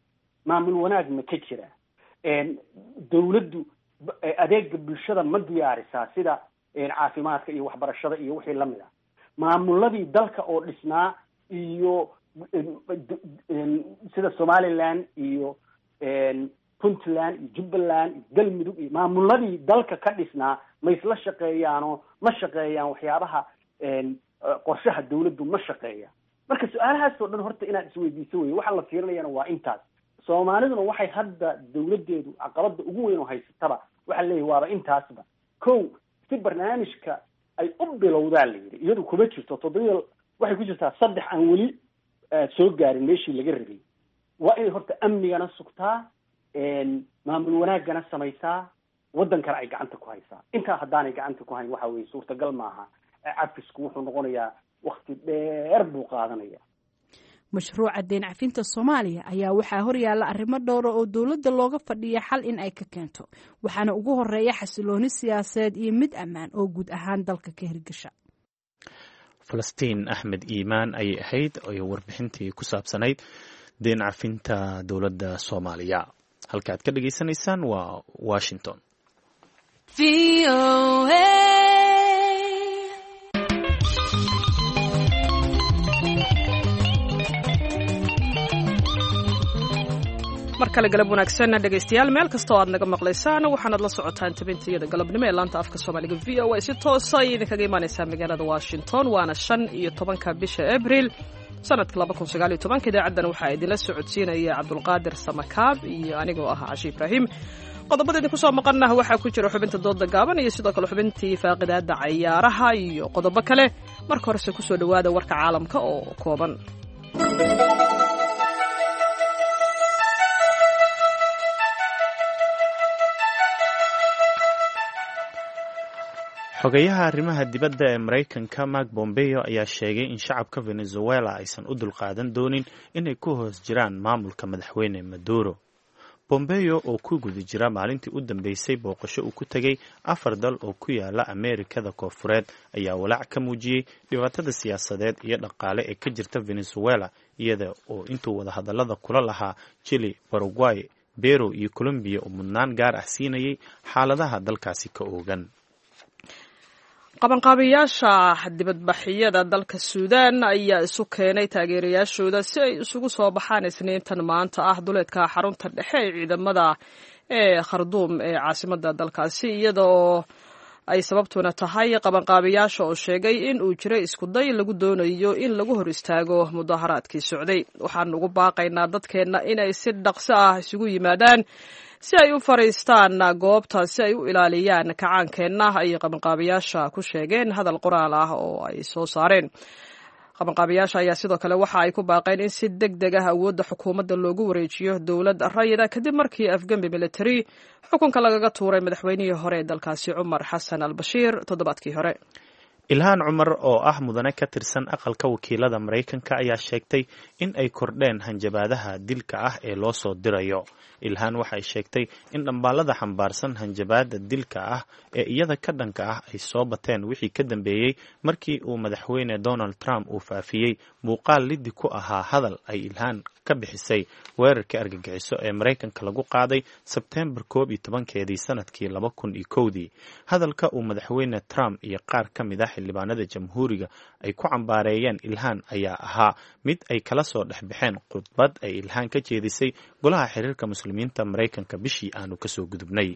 S14: Maamul wanaag ma ka jira? Dawladdu adeega bulshada ma diyaarisaa, sida caafimaadka iyo waxbarashada iyo wixii lamid ah? Maamuladii dalka oo dhisnaa iyo sida Somaliland iyo Puntland iyo Jubbaland iyo Galmudug iyo maamuladii dalka ka dhisnaa ma isla shaqeeyaanoo ma shaqeeyaan? Waxyaabaha qorshaha dawladdu ma shaqeeya? Marka su-aalahaas oo dhan horta inaad isweydiiso wey. Waxa la fiirinayana waa intaas. Soomaaliduna waxay hadda dawladdeedu caqabada ugu weyn oo haysataba waxaa leeyahay waaba intaasba. Kow, si barnaamijka ay u bilowdaa la yidhi, iyadu kuma jirto toddobiya, waxay ku jirtaa saddex aan weli soo gaarin meeshii laga rabay. Waa inay horta amnigana sugtaa, maamul wanaagana samaysaa, waddankana ay gacanta ku haysaa. Intaa haddaanay gacanta ku hayn, waxa weeye suurtagal maaha. Cafisku wuxuu noqonayaa wakti dheer buu qaadanaya.
S12: Mashruuca deyn cafinta Soomaaliya ayaa waxaa horyaalla arrimo dhowra oo dowladda looga fadhiya xal in ay ka keento, waxaana ugu horeeya xasilooni siyaasadeed iyo mid ammaan oo guud ahaan dalka ka hirgasha.
S2: Falastiin Axmed Iimaan ayay ahayd oo warbixintii ku saabsanayd deyn cafinta dowladda Soomaaliya. Halka aad ka dhagaysanaysaan waa Washington.
S1: Mar kale galab wanaagsan dhegaystayaal, meel kasta oo aad naga maqlaysaan, waxaanaad la socotaan tabintayada galabnimo ee laanta afka Soomaaliga V O A, si toosa ayay idinkaga imaanaysaa magaalada Washington. Waana shan iyo tobanka bisha Abril sanadka laba kun sagaal iyo tobanka. Idaacaddan waxaa idinla socodsiinaya Cabdulqaadir Samakaab iyo anigoo ah Cashi Ibraahim. Qodobada idinku soo maqanah waxaa ku jira xubinta dooda gaaban iyo sidoo kale xubintii faaqidaada cayaaraha iyo qodobo kale. Marka horese kusoo dhowaada warka caalamka oo kooban.
S2: Xogayaha arrimaha dibadda ee Maraykanka Mark Bombeo ayaa sheegay in shacabka Venezuela aysan u dulqaadan doonin inay ku hoos jiraan maamulka madaxweyne Maduro. Bombeo oo ku guda jira maalintii u dambeysay booqasho uu ku tegay afar dal oo ku yaala Ameerikada Koonfureed ayaa walaac ka muujiyey dhibaatada siyaasadeed iyo dhaqaale ee ka jirta Venezuela, iyada oo intuu wadahadallada kula lahaa Chile, Paraguay, Peru iyo Colombiya uu mudnaan gaar ah siinayay xaaladaha dalkaasi ka oogan.
S1: Qabanqaabiyaasha dibadbaxyada dalka Suudaan ayaa isu keenay taageerayaashooda si ay isugu soo baxaan Isniintan maanta ah duleedka xarunta dhexe ee ciidamada ee Kharduum ee caasimadda dalkaasi, iyada oo ay sababtuna tahay qabanqaabiyaasha oo sheegay in uu jiray iskuday lagu doonayo in lagu hor istaago mudaharaadkii socday. Waxaan ugu baaqaynaa dadkeenna inay si dhaqso ah isugu yimaadaan si ay u fariistaan goobta si ay u ilaaliyaan kacaankeenna, ayay qabanqaabiyaasha ku sheegeen hadal qoraal ah oo ay soo saareen. Qabanqaabiyaasha ayaa sidoo kale waxa ay ku baaqeen in si deg deg ah awoodda xukuumadda loogu wareejiyo dowlad rayida kadib markii afgembi military xukunka lagaga tuuray madaxweynihii hore ee dalkaasi Cumar Xasan al Bashiir toddobaadkii hore.
S2: Ilhaan Cumar oo ah mudane ka tirsan aqalka wakiilada Maraykanka ayaa sheegtay in ay kordheen hanjabaadaha dilka ah ee loo soo dirayo. Ilhaan waxay sheegtay in dhambaalada xambaarsan hanjabaada dilka ah ee iyada ka dhanka ah ay soo bateen wixii ka dambeeyey markii uu madaxweyne Donald Trump uu faafiyey muuqaal liddi ku ahaa hadal ay Ilhaan ka bixisay weerarkii argagixiso ee Maraykanka lagu qaaday Sebteembar koob iyo tobankeedii sanadkii laba kun iyo kowdii. Hadalka uu madaxweyne Trump iyo qaar ka mid ah xildhibaanada jamhuuriga ay ku cambaareeyeen Ilhaan ayaa ahaa mid ay kala soo dhexbaxeen khudbad ay Ilhaan ka jeedisay golaha xiriirka muslimiinta Maraykanka bishii aanu kasoo gudubnay.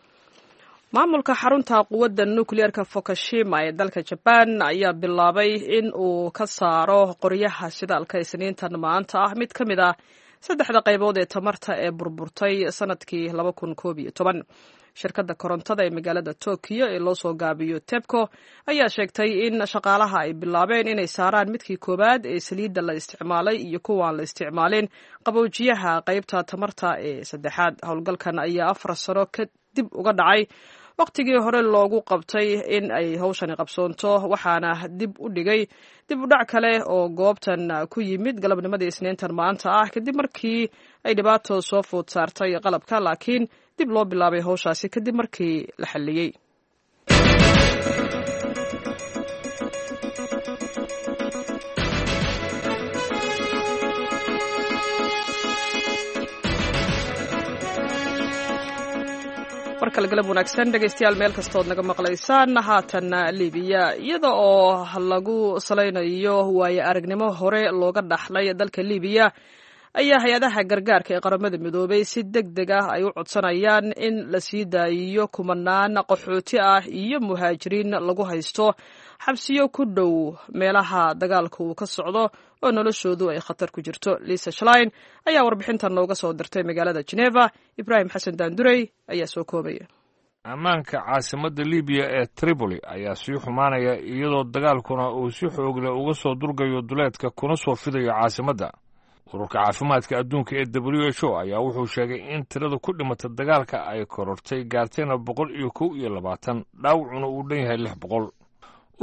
S1: Maamulka xarunta quwadda nukliyeerka Fukushima ee dalka Jaban ayaa bilaabay in uu ka saaro qoryaha shidaalka Isniintan maanta ah mid ka mid ah saddexda qaybood ee tamarta ee burburtay sanadkii laba kun koob iyo toban. Shirkadda korontada ee magaalada Tokyo ee loo soo gaabiyo TEPCO ayaa sheegtay in shaqaalaha ay bilaabeen inay saaraan midkii koowaad ee saliidda la isticmaalay iyo kuwaan la isticmaalin qaboojiyaha qaybta tamarta ee saddexaad. Howlgalkan ayaa afar sano kadib uga dhacay wakhtigii hore loogu qabtay in ay howshani qabsoonto, waxaana dib u dhigay dib u dhac kale oo goobtan ku yimid galabnimadii Isniintan maanta ah kadib markii ay dhibaato soo food saartay qalabka, laakiin dib loo bilaabay howshaasi kadib markii la xalliyey. Markale galab wanaagsan dhegaystayaal, meel kastood naga maqlaysaan. Haatan Libiya, iyada oo lagu salaynayo waayo aragnimo hore looga dhaxlay dalka Libiya, ayaa hay-adaha gargaarka ee Qaramada Midoobay si deg deg ah ay u codsanayaan in la sii daayiyo kumanaan qaxooti ah iyo muhaajiriin lagu haysto xabsiyo ku dhow meelaha dagaalka uu ka socdo oo noloshoodu ay khatar ku jirto. Lisa Schlein ayaa warbixintan nooga soo dirtay magaalada Geneva. Ibraahim Xasan Daandurey ayaa soo koobaya.
S15: Ammaanka caasimadda Libiya ee Tripoli ayaa sii xumaanaya, iyadoo dagaalkuna uu si xoogle uga soo durgayo duleedka kuna soo fidayo caasimadda. Ururka caafimaadka adduunka ee W H O ayaa wuxuu sheegay in tirada ku dhimata dagaalka ay korortay, gaartayna boqol iyo kow iyo labaatan, dhaawacuna uu dhan yahay lix boqol.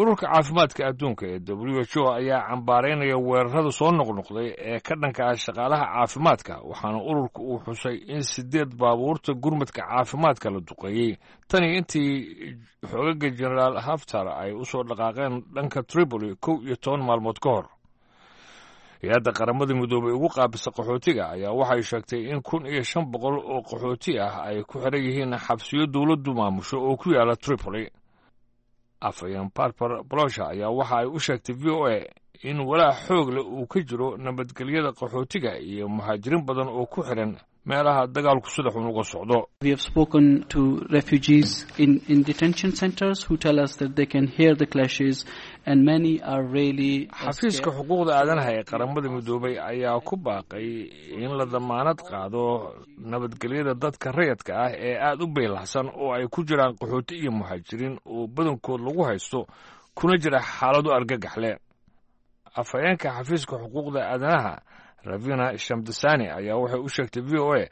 S15: Ururka caafimaadka adduunka ee W H O ayaa cambaaraynaya weerarada soo noqnoqday ee ka dhanka ah shaqaalaha caafimaadka, waxaana ururka uu xusay in sideed baabuurta gurmadka caafimaadka la duqeeyey tani intii xoogaga Jenaraal Haftar ay u soo dhaqaaqeen dhanka Tripoli kow iyo toban maalmood ka hor. Hay-adda Qaramada Midoobay ugu qaabisa qaxootiga ayaa waxay sheegtay in kun iyo shan boqol oo qaxooti ah ay ku xiran yihiin xabsiyo dowladdu maamusho oo ku yaala Tripoli. Afhayeen Barbar Bolosha ayaa waxa ay u sheegtay V O A in walaac xoog leh uu ka jiro nabadgelyada qaxootiga iyo muhaajiriin badan oo ku xiran meelaha dagaalku sida xun uga socdo.
S16: We have spoken to refugees in, in detention centers who tell us that they can hear the clashes and many are really
S15: Xafiiska xuquuqda aadanaha ee Qaramada Midoobay ayaa ku baaqay in la damaanad qaado nabadgelyada dadka rayadka ah ee aada u beylahsan oo ay ku jiraan qaxooti iyo muhaajiriin oo badankood lagu haysto kuna jira xaalado argagax leh. Afhayeenka xafiiska xuquuqda aadanaha Ravina Shamdasani ayaa waxay u sheegtay V O A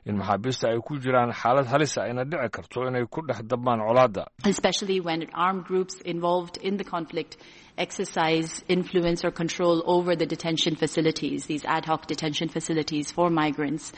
S15: in maxaabiista ay ku jiraan xaalad halis ah ayna dhici karto inay ku dhex dabmaan colaadda.
S17: Especially when armed groups involved in the conflict exercise influence or control over the detention facilities, these ad hoc detention facilities for migrants.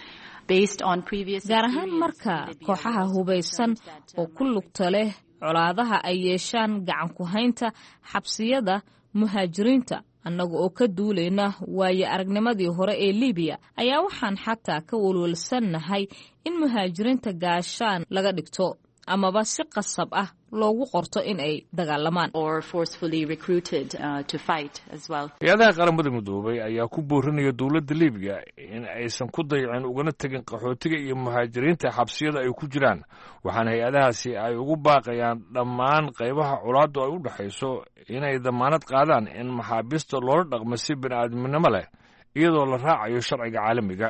S17: Based on previous
S18: Gaar ahaan marka kooxaha hubaysan oo ku lugta leh colaadaha ay yeeshaan gacan ku haynta xabsiyada muhaajiriinta. Annaga oo ka duulayna waayo aragnimadii hore ee Libiya ayaa waxaan xataa ka walwalsannahay in muhaajiriinta gaashaan laga dhigto amaba si qasab ah loogu qorto in ay dagaalamaan.
S15: Hay-adaha Qaramada Midoobay ayaa ku boorinaya dowladda Libiya in aysan ku dayacin ugana tegin qaxootiga iyo muhaajiriinta xabsiyada ay ku jiraan, waxaana hay-adahaasi ay ugu baaqayaan dhammaan qaybaha colaaddu ay u dhexayso inay damaanad qaadaan in maxaabiista loola dhaqmo si bini'aadminimo leh, iyadoo la raacayo sharciga caalamiga.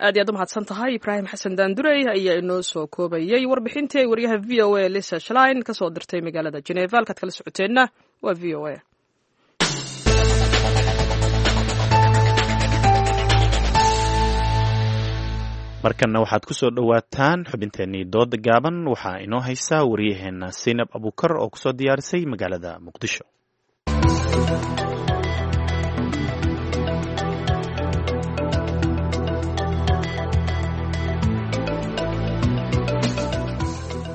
S1: Aad iyo aad u mahadsan tahay, Ibraahim Xasan Daandurey ayaa inoo soo koobayey warbixintii ay wariyaha V O A Lisa Schlein ka soo dirtay magaalada Geneva. Halkaad kala socoteenna waa V O A.
S2: Markanna waxaad ku soo dhowaataan xubinteennii dooda gaaban. Waxaa inoo haysaa wariyaheenna Saynab Abuukar oo kusoo diyaarisay magaalada Muqdisho.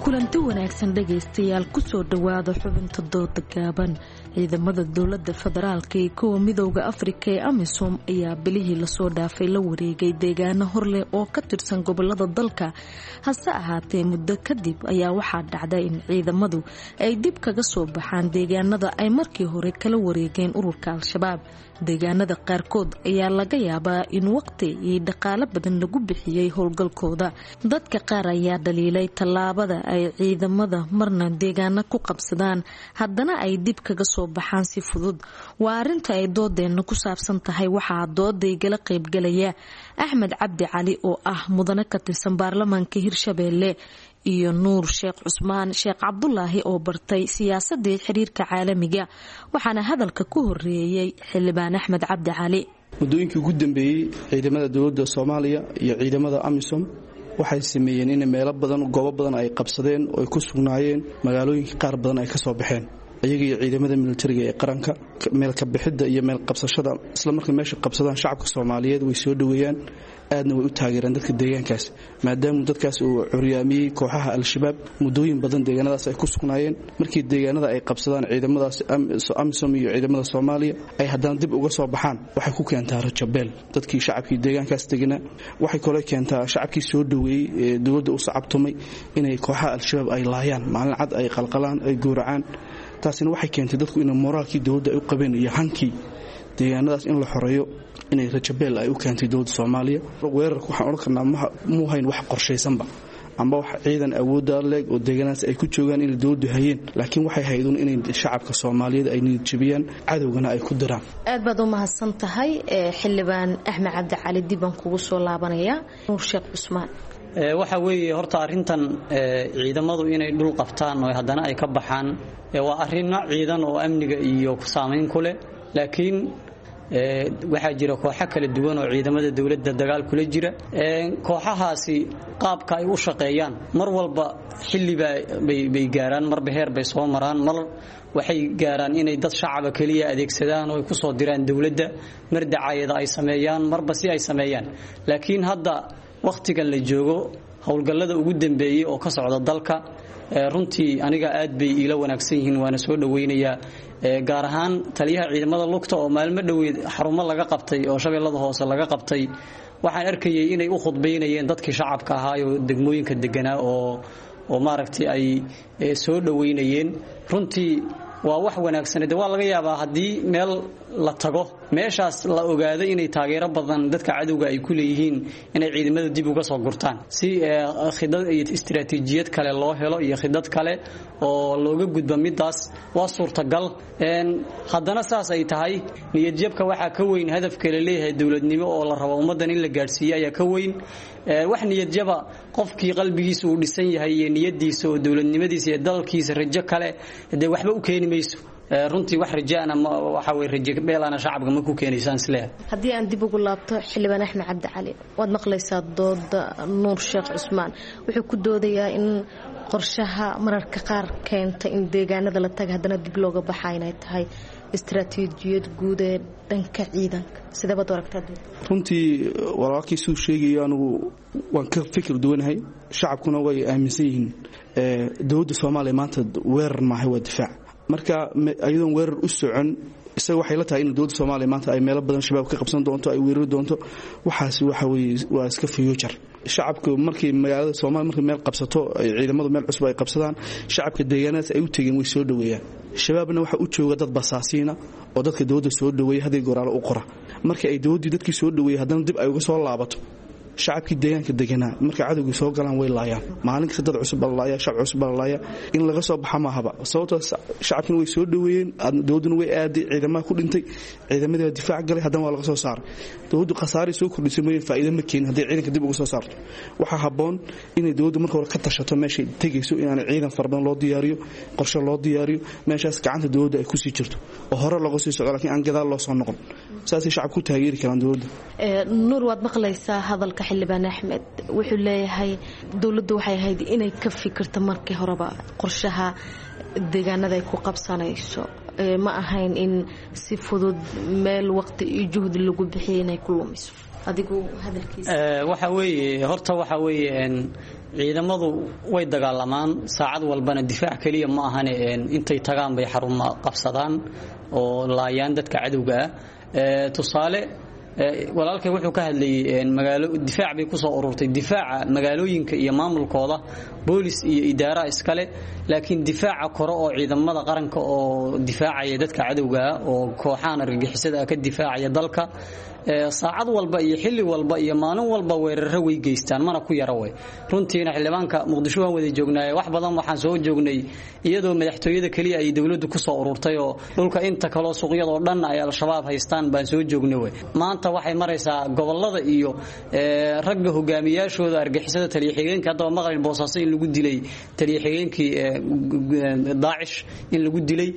S19: Kulanti wanaagsan dhegaystayaal, kusoo dhowaada xubinta dooda gaaban. Ciidamada dowlada federaalka iyo kuwa Midowda Afrika ee AMISOM ayaa bilihii lasoo dhaafay la wareegay deegaano horleh oo ka tirsan gobolada dalka. Hase ahaatee, muddo kadib ayaa waxaa dhacday in ciidamadu ay dib kaga soo baxaan deegaanada ay markii hore kala wareegeen ururka Al-Shabaab. Deegaanada qaarkood ayaa laga yaabaa in waqti iyo dhaqaalo badan lagu bixiyey howlgalkooda. Dadka qaar ayaa dhaliilay tallaabada ay ciidamada marna deegaano ku qabsadaan, haddana ay dib kaga soo baxaan si fudud. Waa arinta ay doodeenna ku saabsan tahay. Waxaa doodaygala qaybgalaya Axmed Cabdi Cali oo ah mudane ka tirsan baarlamaanka Hirshabeelle, iyo Nuur Sheekh Cusmaan Sheekh Cabdulaahi oo bartay siyaasadii xiriirka caalamiga. Waxaana hadalka ku horeeyey xildhibaan Axmed Cabdi Cali.
S20: Muddooyinkii ugu dambeeyey ciidamada dowladda Soomaaliya iyo ciidamada AMISOM waxay sameeyeen in meelo badan, goobo badan ay qabsadeen oo ay ku sugnaayeen, magaalooyinka qaar badan ay ka soo baxeen iyaga iyo ciidamada militariga ee qaranka. Meel ka bixidda iyo meel qabsashada isla markay meesha qabsadaan, shacabka Soomaaliyeed way soo dhoweeyaan, aadna way u taageeraan dadka deegaankaas, maadaama dadkaas uu curyaamiyey kooxaha Al-Shabaab muddooyin badan deegaanadaas ay ku sugnaayeen. Markii deegaanada ay qabsadaan ciidamadaas AMISOM iyo ciidamada Soomaaliya ay haddana dib uga soo baxaan, waxay ku keentaa rajabeel dadkii shacabkii deegaankaas deganaa. Waxay kaloo keentaa shacabkii soo dhoweeyey ee dowladda u sacabtumay inay kooxaha Al-Shabaab ay laayaan maalin cad, ay qalqalaan, ay gowracaan. Taasina waxay keentay dadku inay moraalkii dowladda ay u qabeen iyo hankii deegaanadaas in la xoreeyo inay rajabeel ay u keentay dowladda Soomaaliya. Weerarka waxaan odhan karnaa muu hayn wax qorshaysanba amba wax ciidan awoodda leeg oo deegaanadaas ay ku joogaan inay dowladdu hayeen, laakiin waxay hayduun inay shacabka Soomaaliyeed ay niyad jabiyaan, cadowgana ay ku diraan.
S19: Aad baad u mahadsan tahay xildhibaan Axmed Cabdi Cali. Dib baan kugu soo laabanayaa, Nuur Sheekh Cusmaan.
S21: Waxa weeye horta arrintan ciidamadu inay dhul qabtaan oo haddana ay ka baxaan waa arrinno ciidan oo amniga iyo saamayn ku leh, laakiin waxaa jira kooxo kala duwan oo ciidamada dowladda dagaal kula jira. Kooxahaasi qaabka ay u shaqeeyaan mar walba xilli bay gaaraan, marba heer bay soo maraan. Mar waxay gaaraan inay dad shacaba keliya adeegsadaan oo ay ku soo diraan dowladda, mar dacaayada ay sameeyaan, marba si ay sameeyaan. Laakiin hadda wakhtigan la joogo, howlgallada ugu dambeeyey oo ka socda dalka runtii aniga aad bay iila wanaagsan yihiin, waana soo dhoweynayaa, gaar ahaan taliyaha ciidamada lugta oo maalmo dhoweed xarumo laga qabtay oo Shabeellada Hoose laga qabtay. Waxaan arkayay inay u khudbaynayeen dadkii shacabka ahaa oo degmooyinka deganaa oo oo maaragtay ay soo dhoweynayeen. Runtii waa wax wanaagsan. De waa laga yaabaa haddii meel la tago, meeshaas la ogaado inay taageero badan dadka cadowga ay ku leeyihiin, inay ciidamada dib uga soo gurtaan si khidad iyo istiraatiijiyad kale loo helo iyo khidad kale oo looga gudbo midaas, waa suurtagal. Haddana saas ay tahay, niyadjabka waxaa ka weyn hadafka la leeyahay dowladnimo oo la rabo ummaddan in la gaadhsiiyo ayaa ka weyn wax niyadjaba. Qofkii qalbigiisa uu dhisan yahay iyo niyadiisa oo dowladnimadiisa iyo dalkiisa rajo kale dee waxba u keeni mayso runtii. Wax rajaana waxa weye rajo beelana shacabka ma ku keenaysaan isleeyahay.
S19: Haddii aan dib ugu laabto xildhibaan Axmed Cabdi Cali, waad maqlaysaa dooda Nuur Sheekh Cusmaan. Wuxuu ku doodayaa in qorshaha mararka qaar keenta in deegaanada la taga haddana dib looga baxa inay tahay Istaraatiijiyad guud ee dhanka ciidanka sideebaad u aragtaa?
S20: Runtii walaalkii siduu sheegayo anigu waan ka fikir duwanahay, shacabkuna way aaminsan yihiin. Dowladda Soomaaliya maanta weerar maahay, waa difaac. Marka iyadoon weerar u socon, isaga waxay la tahay in dowladda Soomaaliya maanta ay meelo badan shabaab ka qabsan doonto, ay weerari doonto. Waxaasi waxa weeye waa iska future. Shacabku markii magaalada Soomaaliya markii meel qabsato, ay ciidamadu meel cusub ay qabsadaan, shacabka deegaanadaas ay u tegeen way soo dhoweeyaan. Shabaabna waxa u jooga dad basaasiina oo dadka dowladda soo dhoweeya haddii goraalo u qora. Marka ay dowladdii dadkii soo dhoweeyay haddana dib ay uga soo laabato, shacabkii deegaanka deganaa markay cadowgii soo galaan way laayaan. Maalin kasta dad cusub baa la laaya, shacab cusub baa la laaya. In laga soo baxa maahaba, sababtoo shacabkina way soo dhoweeyeen, dowladduna way aaday, ciidamaha ku dhintay, ciidamadii baa difaac galay, haddana waa laga soo saaray. Dowladdu khasaaray soo kordhisay mooyee faa'iido ma keenin hadday ciidanka dib uga soo saarto. Waxaa habboon inay dowladdu marka hore ka tashato meeshay tegayso, inaanay ciidan fara badan loo diyaariyo, qorshe loo diyaariyo, meeshaas gacanta dowladda ay kusii jirto oo hore looga sii socdo, laakiin aan gadaal loo soo noqon. Saasay shacabku ku taageeri karaan dowladda.
S19: Nuur, waad maqlaysaa hadalka Xildhibaan Axmed. Wuxuu leeyahay dowladdu waxay ahayd inay ka fikirto markii horeba qorshaha deegaanada ay ku qabsanayso, ma ahayn in si fudud meel waqti iyo juhdi lagu bixiyay inay ku lumiso. Adigu hadalkiisa?
S21: Waxa weeye horta, waxa weeye ciidamadu way dagaalamaan saacad walbana, difaac keliya ma ahane, intay tagaan bay xaruma qabsadaan oo laayaan dadka cadowga ah. Tusaale, walaalkay wuxuu ka hadlayay magaalo difaac bay ku soo ururtay. Difaaca magaalooyinka iyo maamulkooda boolis iyo idaara iskale, laakiin difaaca kore oo ciidamada qaranka oo difaacaya dadka cadowga ah oo kooxahan argagixisada ka difaacaya dalka, saacad walba iyo xilli walba iyo maalin walba weeraro way geystaan, mana ku yara way. Runtiina xildhibaanka Muqdisho waan wada joognaaye, wax badan waxaan soo joognay iyadoo madaxtooyada keliya ay dowladdu ku soo ururtay oo dhulka inta kaloo suuqyadoo dhan ay Al-Shabaab haystaan baan soo joognay way. Maanta waxay maraysaa gobolada iyo ragga hogaamiyaashooda argagixisada, taliya xigeenka haddaba maqlin Boosaaso in lagu dilay, taliya xigeenkii Daacish in lagu dilay,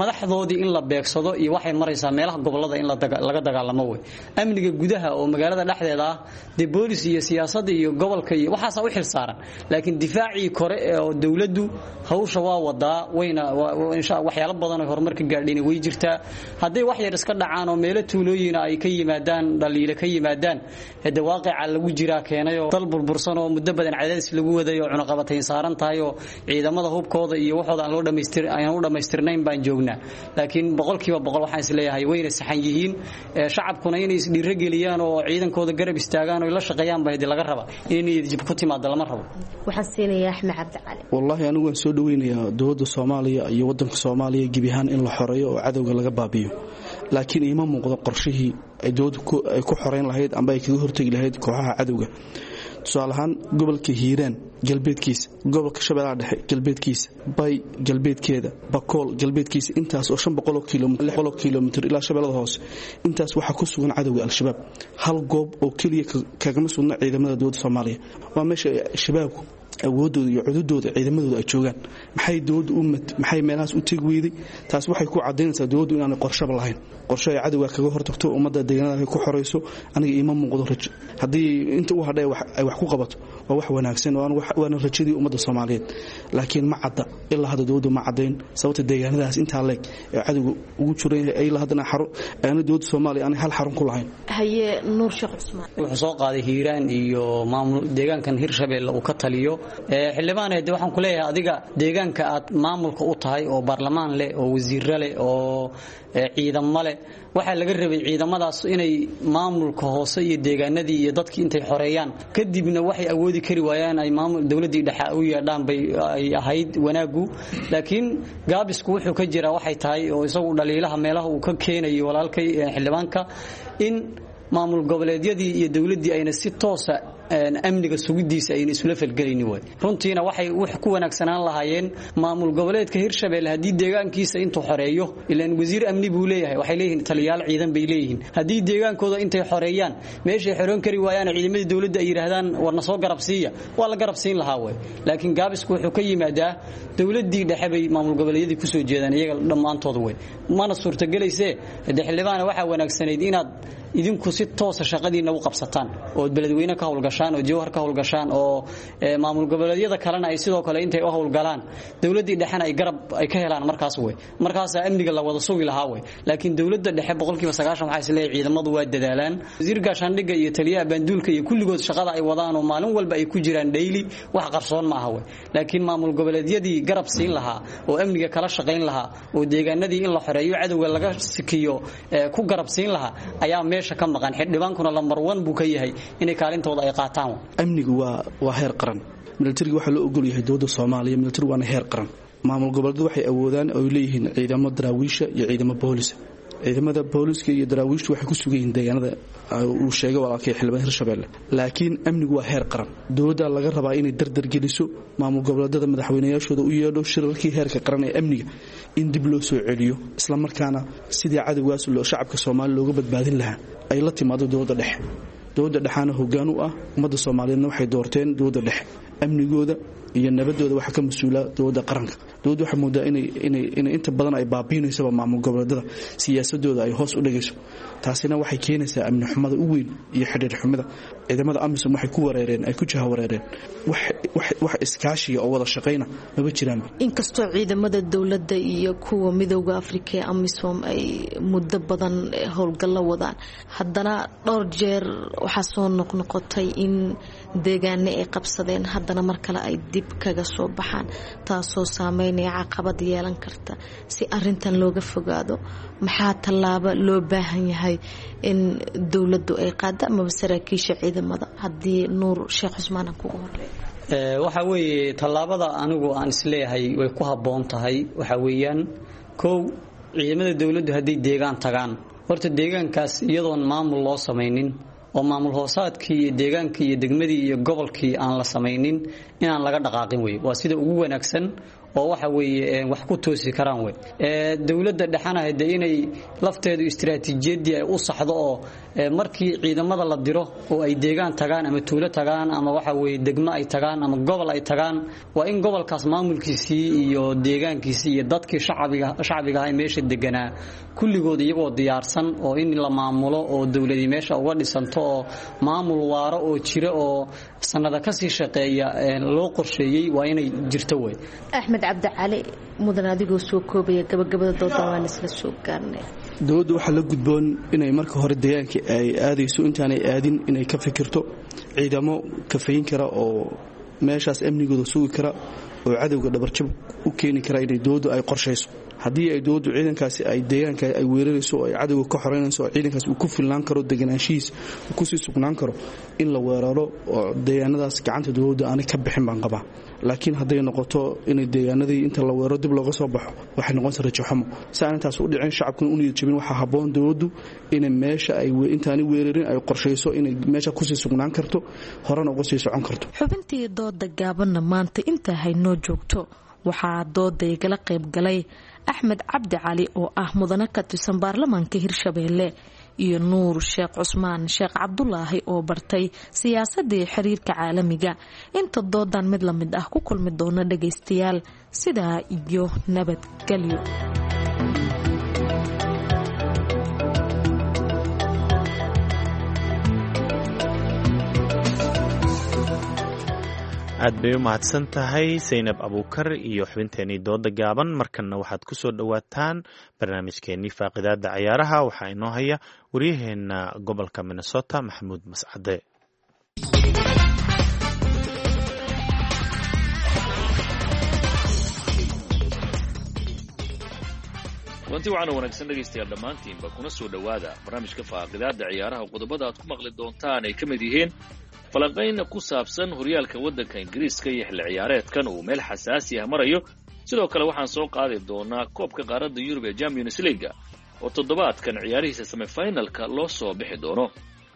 S21: madaxdoodii in la beegsado, iyo waxay maraysaa meelaha gobolada in laga dagaalamo way. Amniga gudaha oo magaalada dhexdeeda ah dee boolis iyo siyaasadda iyo gobolka iyo waxaasaa u xil saaran, laakiin difaacii kore oo dowladdu hawsha waa wadaa, wayna insha waxyaalo badan oo horumar ka gaadhayna way jirtaa. Hadday wax yar iska dhacaan oo meelo tuulooyina ay ka yimaadaan, dhaliilo ka yimaadaan, hade waaqica lagu jiraa keenay oo dal burbursan oo muddo badan cadaadis lagu waday oo cunaqabatayn saaran tahay oo ciidamada hubkooda iyo waxooda aan loo dhamaystir aan u dhamaystirnayn baan joognaa. Laakiin boqolkiiba boqol waxaan isleeyahay wayna saxan yihiin, shacabkuna inay isdhiirageliyaan oo ciidankooda garab istaagaan oo la shaqeeyaan baa laga rabaa, inay niyad jab ku timaado lama rabo.
S19: Waxaan siinayaa Axmed Cabdi Cali.
S20: Wallaahi anigu waan soo dhaweynayaa dowladda Soomaaliya iyo wadanka Soomaaliya gebi ahaan in la xoreeyo oo cadowga laga baabiyo, laakiin iima muuqdo qorshihii ay dowladdu ay ku xoreyn lahayd amba ay kaga hortegi lahayd kooxaha cadowga. Tusaale ahaan, gobolka Hiiraan galbeedkiisa, gobolka Shabeellaha Dhexe galbeedkiisa, Bay galbeedkeeda, Bakool galbeedkiisa, intaas oo shan boqol oo kiiloomitir, lix boqol oo kiiloomitir ilaa Shabeellada Hoose, intaas waxaa ku sugan cadowga Al-Shabaab. Hal goob oo keliya kagama sugna ciidamada dowladda Soomaaliya. Waa meesha shabaabku awoodooda iyo cududooda ciidamadooda ay joogaan. Maxay dowladdu u maxay meelahaas u tegi weyday? Taas waxay ku cadaynaysaa dowladdu inaanay qorshaba lahayn, qorshe ay cadowga kaga hortagto, ummadda deegaanada ay ku xoreyso. Aniga iima muuqdo rajo. Haddii inta u hadhay ay wax ku qabato waa wax wanaagsan, waana rajadii ummadda Soomaaliyeed, laakiin ma cadda ilaa hadda dowladdu ma caddayn sababta deegaanadaas intaa leeg ee cadowga ugu jiran yahay ilaa haddana xarun aana dowladda Soomaaliya aanay hal xarun ku lahayn.
S19: Haye, Nuur Sheekh Cusmaan.
S21: Wuxuu soo qaaday Hiiraan iyo maamul deegaankan Hirshabeelle uu ka taliyo. Xildhibaan, de waxaan ku leeyahay adiga deegaanka aad maamulka u tahay oo baarlamaan leh oo wasiirro leh oo ciidamo leh, waxaa laga rabay ciidamadaas inay maamulka hoose iyo deegaanadii iyo dadkii intay xoreeyaan, kadibna waxay awoodi kari waayaan ay maamul dowladdii dhexe u yeedhaan bay ay ahayd wanaagu. Laakiin gaabisku wuxuu ka jiraa waxay tahay oo isagu dhaliilaha meelaha uu ka keenayo walaalkay xildhibaanka, in maamul goboleedyadii iyo dowladdii ayna si toosa amniga sugidiisa ayna isula falgelaynin way. Runtiina waxay wax ku wanaagsanaan lahaayeen maamul goboleedka Hirshabelle haddii deegaankiisa intuu xoreeyo, ilaan wasiir amni buu leeyahay, waxay leeyihiin taliyaal ciidan bay leeyihiin, haddii deegaankooda intay xoreeyaan meeshay xoroon kari waayaan ciidamadii dowladda ay yiraahdaan warna soo garab siiya, waa la garab siin lahaa way. Laakiin gaabisku wuxuu ka yimaadaa dowladdii dhexe bay maamul goboleedyadii kusoo jeedaan iyaga dhammaantooda way, mana suurtagelaysee. De xildhibaana waxaa wanaagsanayd inaad Idinku si toosa shaqadiina u qabsataan oo beledweyne ka howlgashaan oo jowhar ka howlgashaan oo maamul goboleedyada kalena ay sidoo kale intay u howlgalaan dowladdii dhexena ay garab ay ka helaan markaas wey, markaasaa amniga la wada sugi lahaa wey. Laakiin dowladda dhexe boqolkiiba sagaashan waxaa isleeyahay ciidamadu waa dadaalaan, wasiir gaashaandhigga iyo taliyaha baanduulka iyo kulligood shaqada ay wadaan oo maalin walba ay ku jiraan dhayli wax qarsoon ma aha wey. Laakiin maamul goboleedyadii garab siin lahaa oo amniga kala shaqayn lahaa oo deegaanadii in la xoreeyo cadowga laga sikiyo ku garab siin lahaa ayaa meesha ka maqan. Xildhibaankuna lambar one buu ka yahay inay kaalintooda ay qaataan.
S20: Amnigu waa waa heer qaran. Militariga waxaa loo ogol yahay dowladda Soomaaliya, militari waana heer qaran. Maamul goboleedyadu waxay awoodaan oo ay leeyihiin ciidamo daraawiisha iyo ciidamo boolisa. Ciidamada booliska iyo daraawiishtu waxay ku sugan yihiin deegaanada uu sheegay walaalkay xildhibaan Hirshabelle, laakiin amnigu waa heer qaran. Dowladda laga rabaa inay dardar geliso, maamul goboleedyada madaxweynayaashooda u yeedho shirarkii heerka qaran ee amniga in dib loo soo celiyo, isla markaana sidii cadowgaas loo shacabka Soomaaliya looga badbaadin lahaa ay la timaado dowladda dhexe. Dowladda dhexaana hoggaan u ah ummadda Soomaaliyeedna waxay doorteen dowladda dhexe. Amnigooda iyo nabadooda waxaa ka mas-uula dowladda qaranka. Dowladda waxaa moodaa inay inay inay inta badan ay baabiinaysaba maamul goboleedyada, siyaasadooda ay hoos u dhigayso. Taasina waxay keenaysaa amni xumada u weyn iyo xidhiir xumida. Ciidamada AMISOM waxay ku wareereen, ay ku jaha wareereen, wax wax wax iskaashiga oo wada shaqayna maba jiraan.
S19: Inkastoo ciidamada dowladda iyo kuwa midowda Afrika ee AMISOM ay muddo badan howlgallo wadaan, haddana dhowr jeer waxaa soo noqnoqotay in deegaano ay qabsadeen haddana mar kale ay dib kaga soo baxaan, taasoo saameynaya caqabad yeelan karta. Si arintan looga fogaado, maxaa tallaabo loo baahan yahay in dowladdu ay qaado amaba saraakiisha ciidamada? Haddii Nuur Sheekh Cusmaan aan kugu horeeyo.
S21: Waxa weeye tallaabada anigu aan isleeyahay way ku habboon tahay waxa weeyaan, kow, ciidamada dowladdu hadday deegaan tagaan, horta deegaankaas iyadoon maamul loo samaynin oo maamul hoosaadkii iyo deegaankii iyo degmadii iyo gobolkii aan la samaynin inaan laga dhaqaaqin wey. Waa sida ugu wanaagsan oo waxa weeye wax ku toosi karaan wey. Dowladda dhexana de inay lafteedu istiraatiijiyadii ay u saxdo oo markii ciidamada la diro oo ay deegaan tagaan ama tuulo tagaan ama waxa weeye degmo ay tagaan ama gobol ay tagaan, waa in gobolkaas maamulkiisii iyo deegaankiisii iyo dadkii shacbiga shacbiga ahaa meesha deganaa kulligood iyagoo diyaarsan oo in la maamulo oo dowladii meesha uga dhisanto oo maamul waaro oo jira oo sanada kasii shaqeeya loo qorsheeyey waa inay jirto wey.
S19: Axmed Cabdi Cali, mudan adigoo soo koobaya gabagabada dooda waan isla soo gaarnay.
S20: Dowladdu waxaa la gudboon inay marka hore deegaanka ay aadayso intaanay aadin inay ka fikirto ciidamo kafayn kara oo meeshaas amnigooda sugi kara oo cadowga dhabarjab u keeni kara inay dowladdu ay qorshayso. Haddii ay dowladdu ciidankaasi ay deegaanka ay weerarayso oo ay cadowga ka xoreynayso oo ciidankaas uu ku filnaan karo deganaanshihiis uu kusii sugnaan karo, in la weeraro oo deegaanadaas gacanta dowladda aanay ka bixin baan qabaa. Laakiin hadday noqoto inay deegaanadii inta la weeraro dib looga soo baxo, waxay noqonaysaa rajo xumo. Si aan intaas u dhicin, shacabkuna u niyad jabin, waxaa habboon dowladdu inay meesha ay intaanay weerarin ay qorshayso inay meesha kusii sugnaan karto, horena uga sii socon karto.
S19: Xubintii dooda gaabanna maanta intaa haynoo joogto. Waxaa dooda igala qayb galay Axmed Cabdi Cali oo ah mudane ka tirsan baarlamaanka Hirshabeelle iyo Nuur Sheekh Cusmaan Sheekh Cabdulaahi oo bartay siyaasadii xiriirka caalamiga. Inta doodan mid la mid ah ku kulmi doona dhagaystayaal, sidaa iyo nabadgelyo.
S2: Aad bay u mahadsan tahay Saynab Abuukar iyo xubinteenii dooda gaaban. Markanna waxaad ku soo dhowaataan barnaamijkeenii faaqidaada cayaaraha. Waxaa inoo haya waryaheena gobolka Minnesota, Maxamuud Mascade.
S6: Kulanti waxaana wanaagsan dhegaystayaal dhammaantiinba, kuna soo dhowaada barnaamijka faaqidaada ciyaaraha. Qodobada aad ku maqli doontaan ay ka mid yihiin falanqayn ku saabsan horyaalka waddanka Ingiriiska iyo xilli ciyaareedkan uu meel xasaasi ah marayo. Sidoo kale waxaan soo qaadi doonaa koobka qaaradda Yurub ee Champions League oo toddobaadkan ciyaarihiisa semifinalka loo soo bixi doono.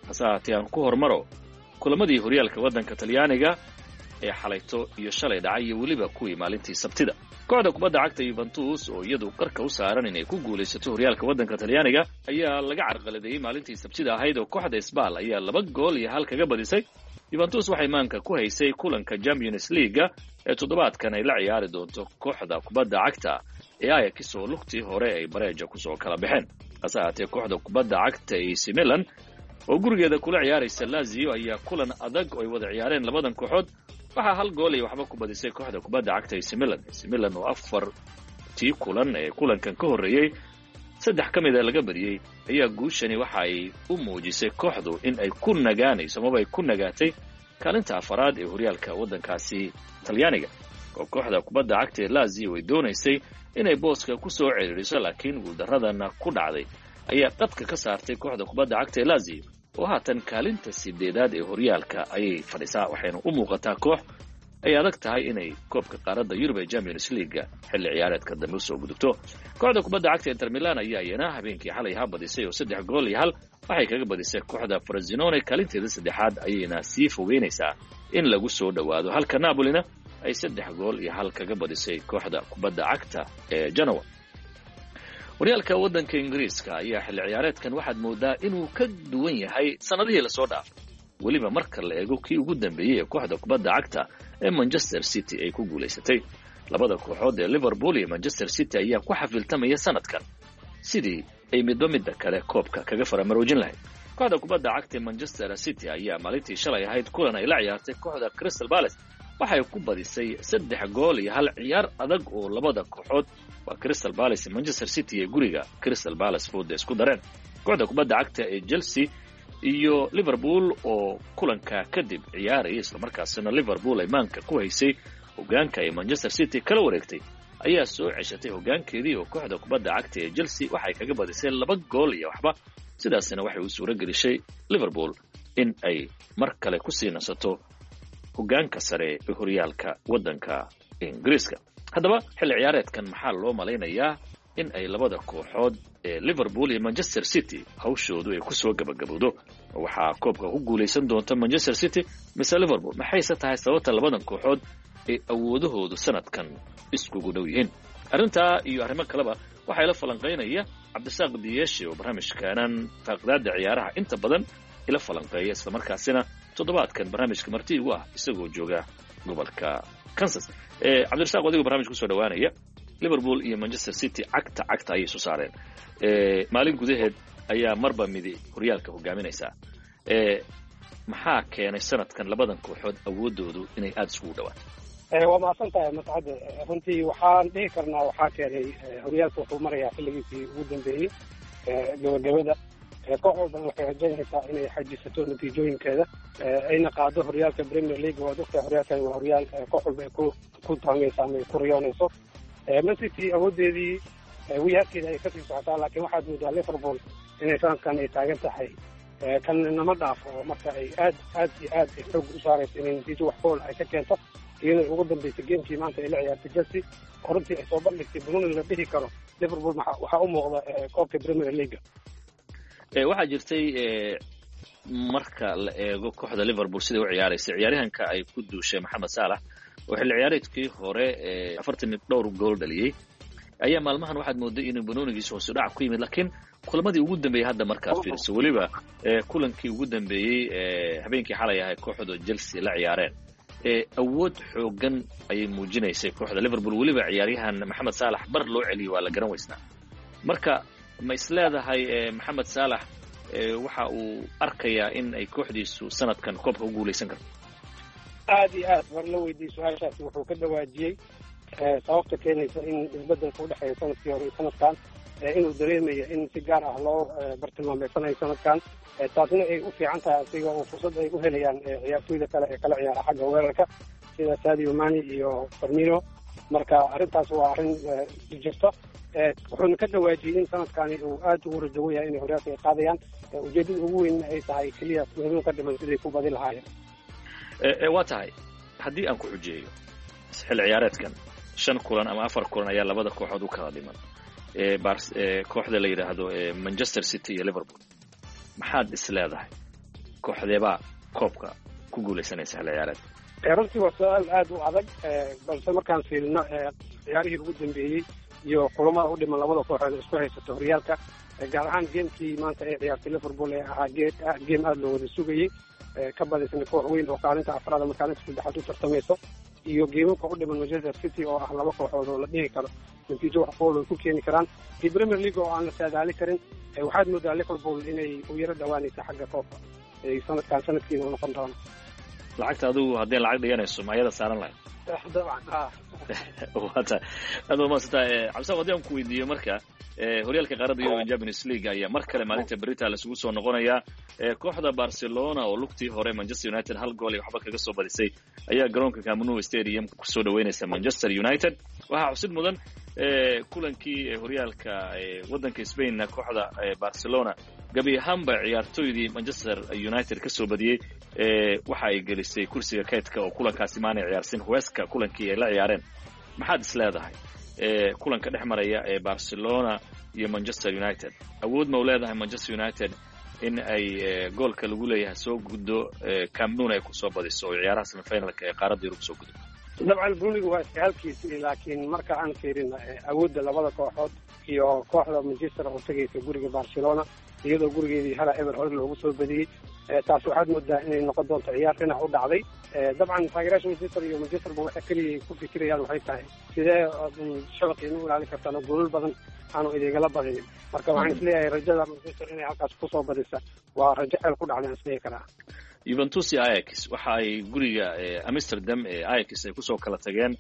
S6: Hase haatee aan ku hormaro kulamadii horyaalka waddanka Talyaaniga ee xalayto iyo shalay dhacay iyo weliba kuwii maalintii Sabtida. Kooxda kubadda cagta Yuventus oo iyadu qarka u saaran inay ku guulaysato horyaalka waddanka Talyaaniga ayaa laga carqaladeeyey maalintii Sabtida ahayd oo kooxda Sbal ayaa laba gool iyo hal kaga badisay. Yuventus waxay maanka ku haysay kulanka Champions League ee toddobaadkan ay la ciyaari doonto kooxda kubadda cagta ee Ajax oo lugtii hore ay bareeja kusoo kala baxeen. Hase ahaatee kooxda kubadda cagta A C Milan oo gurigeeda kula ciyaaraysa Lazio ayaa kulan adag oo ay wada ciyaareen labadan kooxood waxaa hal gool iyo waxba ku badisay kooxda kubadda cagta A C Milan. A C Milan oo afartii kulan ee kulankan ka horreeyey saddex ka mid a laga badiyey ayaa guushani waxa ay u muujisay kooxdu in ay ku nagaanayso amaba ay ku nagaatay kaalinta afaraad ee horyaalka waddankaasi Talyaaniga, oo kooxda kubadda cagta ee Lazio ay doonaysay inay booska ku soo ciriiriso, laakiin guuldaradana ku dhacday ayaa qadka ka saartay kooxda kubadda cagta ee Lazio oo haatan kaalinta sideedaad ee horyaalka ayay fadhisaa, waxayna u muuqataa koox ay adag tahay inay koobka qaaradda Yurub ee Champions League xilli ciyaareedka dambe usoo gudubto. Kooxda kubadda cagta Inter Milan ayaa iyana habeenkii xalay ahaa badisay oo saddex gool iyo hal waxay kaga badisay kooxda Frosinone, kaalinteeda saddexaad ayayna sii fogeynaysaa in lagu soo dhowaado, halka Napolina ay saddex gool iyo hal kaga badisay kooxda kubadda cagta ee Genoa. Horyaalka waddanka Ingiriiska ayaa xilli ciyaareedkan waxaad moodaa inuu ka duwan yahay sanadihii lasoo dhaafay, weliba marka la eego kii ugu dambeeyey ee kooxda kubadda cagta ee Manchester City ay ku guulaysatay. Labada kooxood ee Liverpool iyo Manchester City ayaa ku xafiltamaya sanadkan sidii ay midba midda kale koobka kaga faramaroojin lahayd. Kooxda kubadda cagta ee Manchester City ayaa maalintii shalay ahayd kulan ay la ciyaartay kooxda Crystal Palace waxay ku badisay saddex gool iyo hal, ciyaar adag oo labada kooxood waa Crystal Palace iyo Manchester City ee guriga Crystal Palace fooda isku dareen. Kooxda kubadda cagta ee Chelsea iyo Liverpool oo kulanka kadib ciyaaraya, islamarkaasina Liverpool ay maanka ku haysay hogaanka ay Manchester City kala wareegtay, ayaa soo ceshatay hogaankeedii oo kooxda kubadda cagta ee Chelsea waxay kaga badisay laba gool iyo waxba, sidaasina waxay u suuro gelishay Liverpool in ay mar kale kusii nasato hogaanka sare ee horyaalka waddanka Ingiriiska. Haddaba xilli ciyaareedkan maxaa loo malaynayaa in ay labada kooxood ee Liverpool iyo Manchester City hawshoodu ay kusoo gabagabowdo? Waxaa koobka ku guulaysan doonta Manchester City mise Liverpool? Maxayse tahay sababta labadan kooxood ay awoodahoodu sanadkan iskugu dhow yihiin? Arrintaa iyo arrimo kaleba waxaa ila falanqaynaya Cabdisaaq Diyeeshe oo barnaamijkaanan faaqidaada ciyaaraha inta badan ila falanqeeya, islamarkaasina toddobaadkan barnaamijka marti igu ah isagoo jooga gobolka Kansas. Cabdirasaaq, adigoo barnamijka kusoo dhawaanaya, Liverpool iyo Manchester City cagta cagta ayay soo saareen maalin gudaheed ayaa marba midi horyaalka hogaaminaysaa. Maxaa keenay sanadkan labadan kooxood awoodoodu inay aada isugu dhawaato?
S7: Waa mahadsan tahay Mascade. Runtii waxaan dhihi karnaa waxaa keenay horyaalka wuxuu marayaa xilligiisii ugu dambeeyey gabagabada. Koox walbana waxay rajaynaysaa inay xajisato natiijooyinkeeda ayna qaado horyaalka Premier League. Waad ogtahay horyaalkan waa horyaal koox walba ay ku ku taamayso ama ay ku riyoonayso. Man City awoodeedii wiyaarkeeda ay kasii socotaa, laakiin waxaad moodaa Liverpool inay sanadkan ay taagan tahay kan nama dhaafo oo marka ay aad aad iyo aad ay xoog u saarayso inay natiijo wax fool ay ka keento, iyadoo ugu dambeysay gamekii maanta ay la ciyaartay Chelsea oo runtii ay soo bandhigtay bununi la dhihi karo Liverpool waxaa u muuqda koobka Premier League.
S6: Waxaa jirtay marka la eego kooxda Liverpool siday u ciyaaraysa, ciyaaryahanka ay ku duushay Maxamed Salah oo xilli ciyaareedkii hore afartan iyo dhowr gool dhaliyey ayaa maalmahan waxaad mooday inuu banoonigiisa hoos u dhac ku yimid, laakiin kulamadii ugu dambeeyey hadda markaad fiiriso, weliba kulankii ugu dambeeyey habeenkii xalay ahay kooxda Chelsea la ciyaareen, awood xoogan ayay muujinaysay kooxda Liverpool. Weliba ciyaaryahan Maxamed Salah bar loo celiyey waa la garan weysnaa. Marka ma isleedahay Maxamed Salah waxa uu arkayaa in ay kooxdiisu sanadkan koobka u guulaysan karto?
S7: Aad iyo aad war la weydiiyey su-aashaasi, wuxuu ka dhawaajiyey sababta keenaysa in isbedelka udhexeeya sanadkii hore iyo sanadkan, inuu dareemayo in si gaar ah loo bartilmaameysanayo sanadkan, taasna ay u fiican tahay asiga oo fursad ay u helayaan ciyaartoyda kale ee kala ciyaara xagga weerarka sida Sadio Mane iyo Firmino. Marka arrintaas waa arrin jirta. Wuxuuna ka dhawaajiyey in sanadkani uu aad ugu rajawan yahay inay horyaalka ay qaadayaan, ujeedada ugu weynna ay tahay keliya muhiim ka dhiman siday ku badi lahaayeen.
S6: Waa tahay, haddii aan ku xujeeyo xilli ciyaareedkan shan kulan ama afar kulan ayaa labada kooxood u kala dhiman, kooxda la yidhaahdo Manchester City iyo Liverpool, maxaad is leedahay kooxdeebaa koobka ku guulaysanaysa xilli ciyaareedka?
S7: Runtii waa su-aal aada u adag, balse markaan fiirino ciyaarihii ugu dambeeyey iyo kulamada u dhiman labada kooxood isku haysato horyaalka, gaar ahaan gamekii maanta ay ciyaartay Liverpool ee ahaa game aada loo wada sugayey, ka badisna koox weyn oo kaalinta afraad ama kaalinta saddexaad u tartamayso, Iyo geemamka u dhiman Manchester City oo ah laba kooxood oo la dhihi karo natiijo wax kool ay ku keeni karaan, iyo Premier League oo aan la saadaali karin. Waxaad moodaa Liverpool inay u yaro dhawaanaysa xagga koobka ay sanadkan sanadkiina u noqon doono.
S6: Lacagta adigu haddii lacag dhiganayso ma ayada saaran lahayd?
S7: Dabcan ha.
S6: Wata aad waa mahadsantaa Cabdisaaq. Haddii aan ku weydiiyo marka, horyaalka qaaradda Yurub Champions League ayaa mar kale maalinta berita laisugu soo noqonayaa. Kooxda Barcelona oo lugtii hore Manchester United hal gool iyo waxba kaga soo badisay ayaa garoonka Camp Nou Stadium kusoo dhaweynaysa Manchester United. Waxaa xusid mudan kulankii horyaalka waddanka Spainna kooxda Barcelona gabi ahaanba ciyaartoydii Manchester United ka soo badiyey waxa ay gelisay kursiga kaydka oo kulankaasi maanay ciyaarsin Huesca kulankii ay la ciyaareen. Maxaad is leedahay kulanka dhex maraya ee Barcelona iyo Manchester United? Awood ma u leedahay Manchester United in ay goolka lagu leeyahay soo guddo, Camp Nou ay kusoo badiso oo ciyaaraha semifinalka ee qaaradda Yurub soo guddo?
S7: Dabcan brunigu waa iska halkiisi, laakiin marka aan fiirin awoodda labada kooxood iyo kooxda Manchester oo tegaysa guriga Barcelona iyadoo gurigeedii hala eber hore loogu soo badiyey, taas waxaad moodaa inay noqon doonto ciyaar dhinac u dhacday. Dabcan taageerayaasha Manchester iyo Manchesterba waxay keliya ku fikirayaan waxay tahay sidee shabaqiina u ilaalin kartaan oo goolal badan aanu idingala badinin. Marka waxaan isleeyahay rajada Manchester inay halkaas kusoo badisa waa rajo xeel ku dhacday aan isleeyahi karaa.
S6: Juventus iyo Ajax waxa ay guriga Amsterdam ee Ajax ay kusoo kala tageen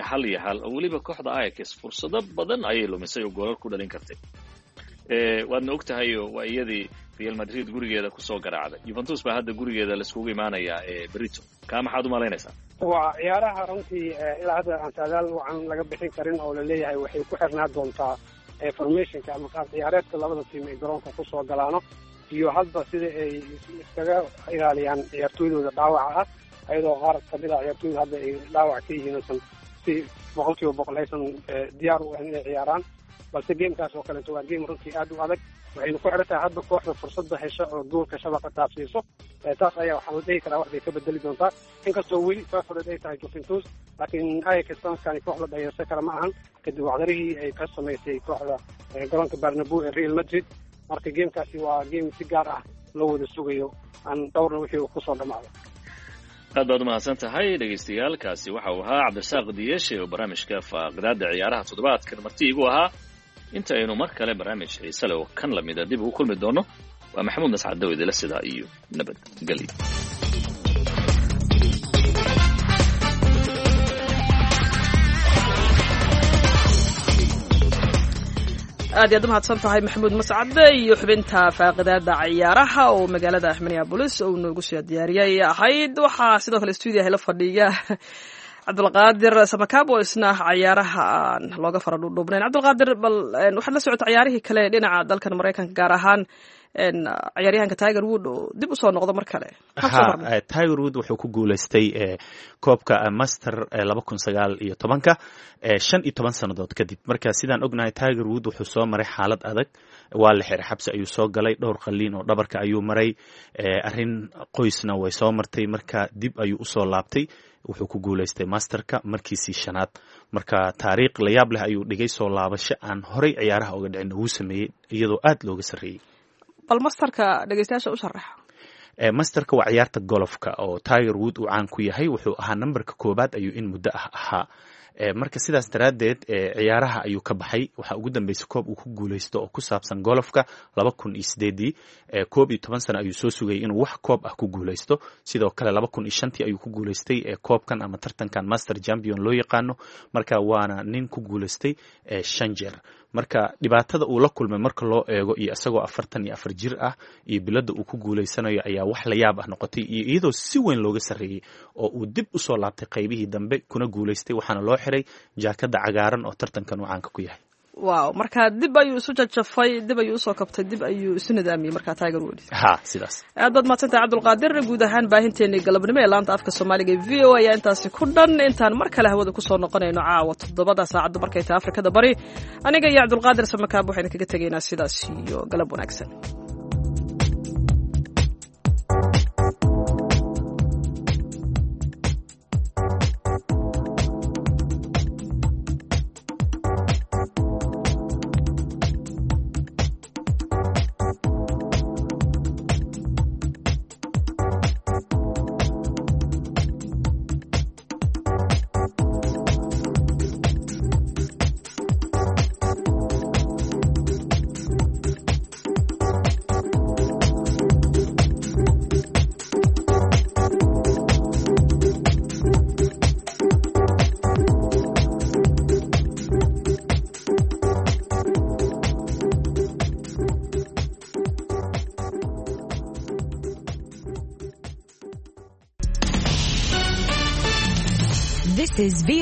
S6: hal iyo hal, oo weliba kooxda Ajax fursado badan ayay lumisay oo goolal ku dhalin kartay. Waadna og tahay waa iyadii Real Madrid gurigeeda kusoo garaacday. Juventus baa hadda gurigeeda laiskugu imaanayaa berito. Kaa maxaad umalaynaysaa?
S7: Waa ciyaaraha runtii ilaa hadda aan saadaal wacan laga bixin karin oo laleeyahay waxay ku xirnaa doontaa formationka ama qaab ciyaareedka labada tiim ay garoonka kusoo galaano iyo hadba sida ay iskaga ilaaliyaan ciyaartooydooda dhaawaca ah, ayadoo qaar kamid a ciyaartooyda hadda ay dhaawac ka yihiin aysan si boqol kiiba boqol aysan diyaar u ahayn inay ciyaaraan. Balse gamekaas oo kaleeto waa game runtii aada u adag, waxayna ku xiran tahay hadba kooxda fursadda hesho oo goolka shabaqa taabsiiso. Taas ayaa waxaa la dhihi karaa wax bay ka bedeli doontaa, inkastoo weli favorite ay tahay Juventus, laakiin Ajax sanadkani koox la dhayarsan kara ma ahan kadib wacdarihii ay ka samaysay kooxda garoonka Bernabeu ee Real Madrid. Marka gamekaasi waa game si gaar ah loo wada sugayo aan dhowrna wixii uu kusoo dhamaado.
S6: Aad baad umahadsan tahay dhegaystayaal. Kaasi waxa uu ahaa Cabdirasaaq Diyeshe oo barnaamijka faaqidaada ciyaaraha toddobaadkan marti igu ahaa. Inta aynu mar kale barnaamij xiise leh oo kan lamida dib ugu kulmi doono, waa Maxamuud Mascad Dawidele, sidaa iyo nabadgelyo.
S1: Aad iyaad umahadsan tahay Maxamuud Mascade iyo xubinta faaqidaada ciyaaraha oo magaalada Minneapolis uu noogu soo diyaariyay ahayd. Waxaa sidoo kale stuudiyaha la fadhiya Cabdulqaadir Samakaab oo isna cayaaraha aan looga fara dhuudhuubnayn. Cabdulqaadir, bal waxaad la socota ciyaarihii kale dhinaca dalkan Maraykanka, gaar ahaan ciyaaryahanka Tiger Wood oo dib usoo noqdo mar kale.
S2: Ha, Tiger Wood wuxuu ku guuleystay koobka Master laba kun sagaal iyo tobanka shan iyo toban sannadood kadib. Marka sidaan ognahay Tiger Wood wuxuu soo maray xaalad adag, waa la xiray, xabsi ayuu soo galay, dhowr qaliin oo dhabarka ayuu maray, arrin qoysna way soo martay. Marka dib ayuu usoo laabtay, wuxuu ku guuleystay masterka markiisii shanaad. Marka taariikh la yaab leh ayuu dhigay, soo laabasho aan horay ciyaaraha uga dhicin wuu sameeyey iyadoo aad looga sarreeyey.
S1: Bal masterka dhegeystayaasha u sharaxa.
S2: Masterka waa ciyaarta golofka oo Tiger Wood uu caan ku yahay. Wuxuu ahaa nambarka koobaad ayuu in muddo ah ahaa. Marka sidaas daraaddeed ciyaaraha ayuu ka baxay. Waxaa ugu dambeysay koob uu ku guuleysto oo ku saabsan golofka laba kun iyo sideedii. Koob iyo toban sano ayuu soo sugayay inuu wax koob ah ku guuleysto. Sidoo kale laba kun iyo shantii ayuu ku guuleystay koobkan ama tartankan Master Champion loo yaqaano. Marka waana nin ku guuleystay shan jeer. Marka dhibaatada uu la kulmay marka loo eego iyo isagoo afartan iyo afar jir ah iyo bilada uu ku guuleysanayo ayaa wax la yaab ah noqotay, iyo iyadoo si weyn looga sarreeyey oo uu dib usoo laabtay qaybihii dambe kuna guuleystay. Waxaana loo xiray jaakada cagaaran oo tartankan uu caanka ku yahay.
S1: Wow, marka dib ayuu isu jajafay, dib ayuu usoo kabtay, dib ayuu isu nidaamiyey marka Tiger Woods.
S2: Ha, sidaas.
S1: Aad baad mahadsantahay Cabdulqaadir. Guud ahaan baahinteenii galabnimo ee laanta afka Soomaaliga ee V O A ayaa intaasi ku dhan. Intaan mar kale hawada kusoo noqonayno caawa toddobada saacadda markay tahay Afrikada Bari, aniga iyo Cabdulqaadir Samakaab waxaynu kaga tegaynaa sidaas iyo galab wanaagsan.
S3: This is V O A.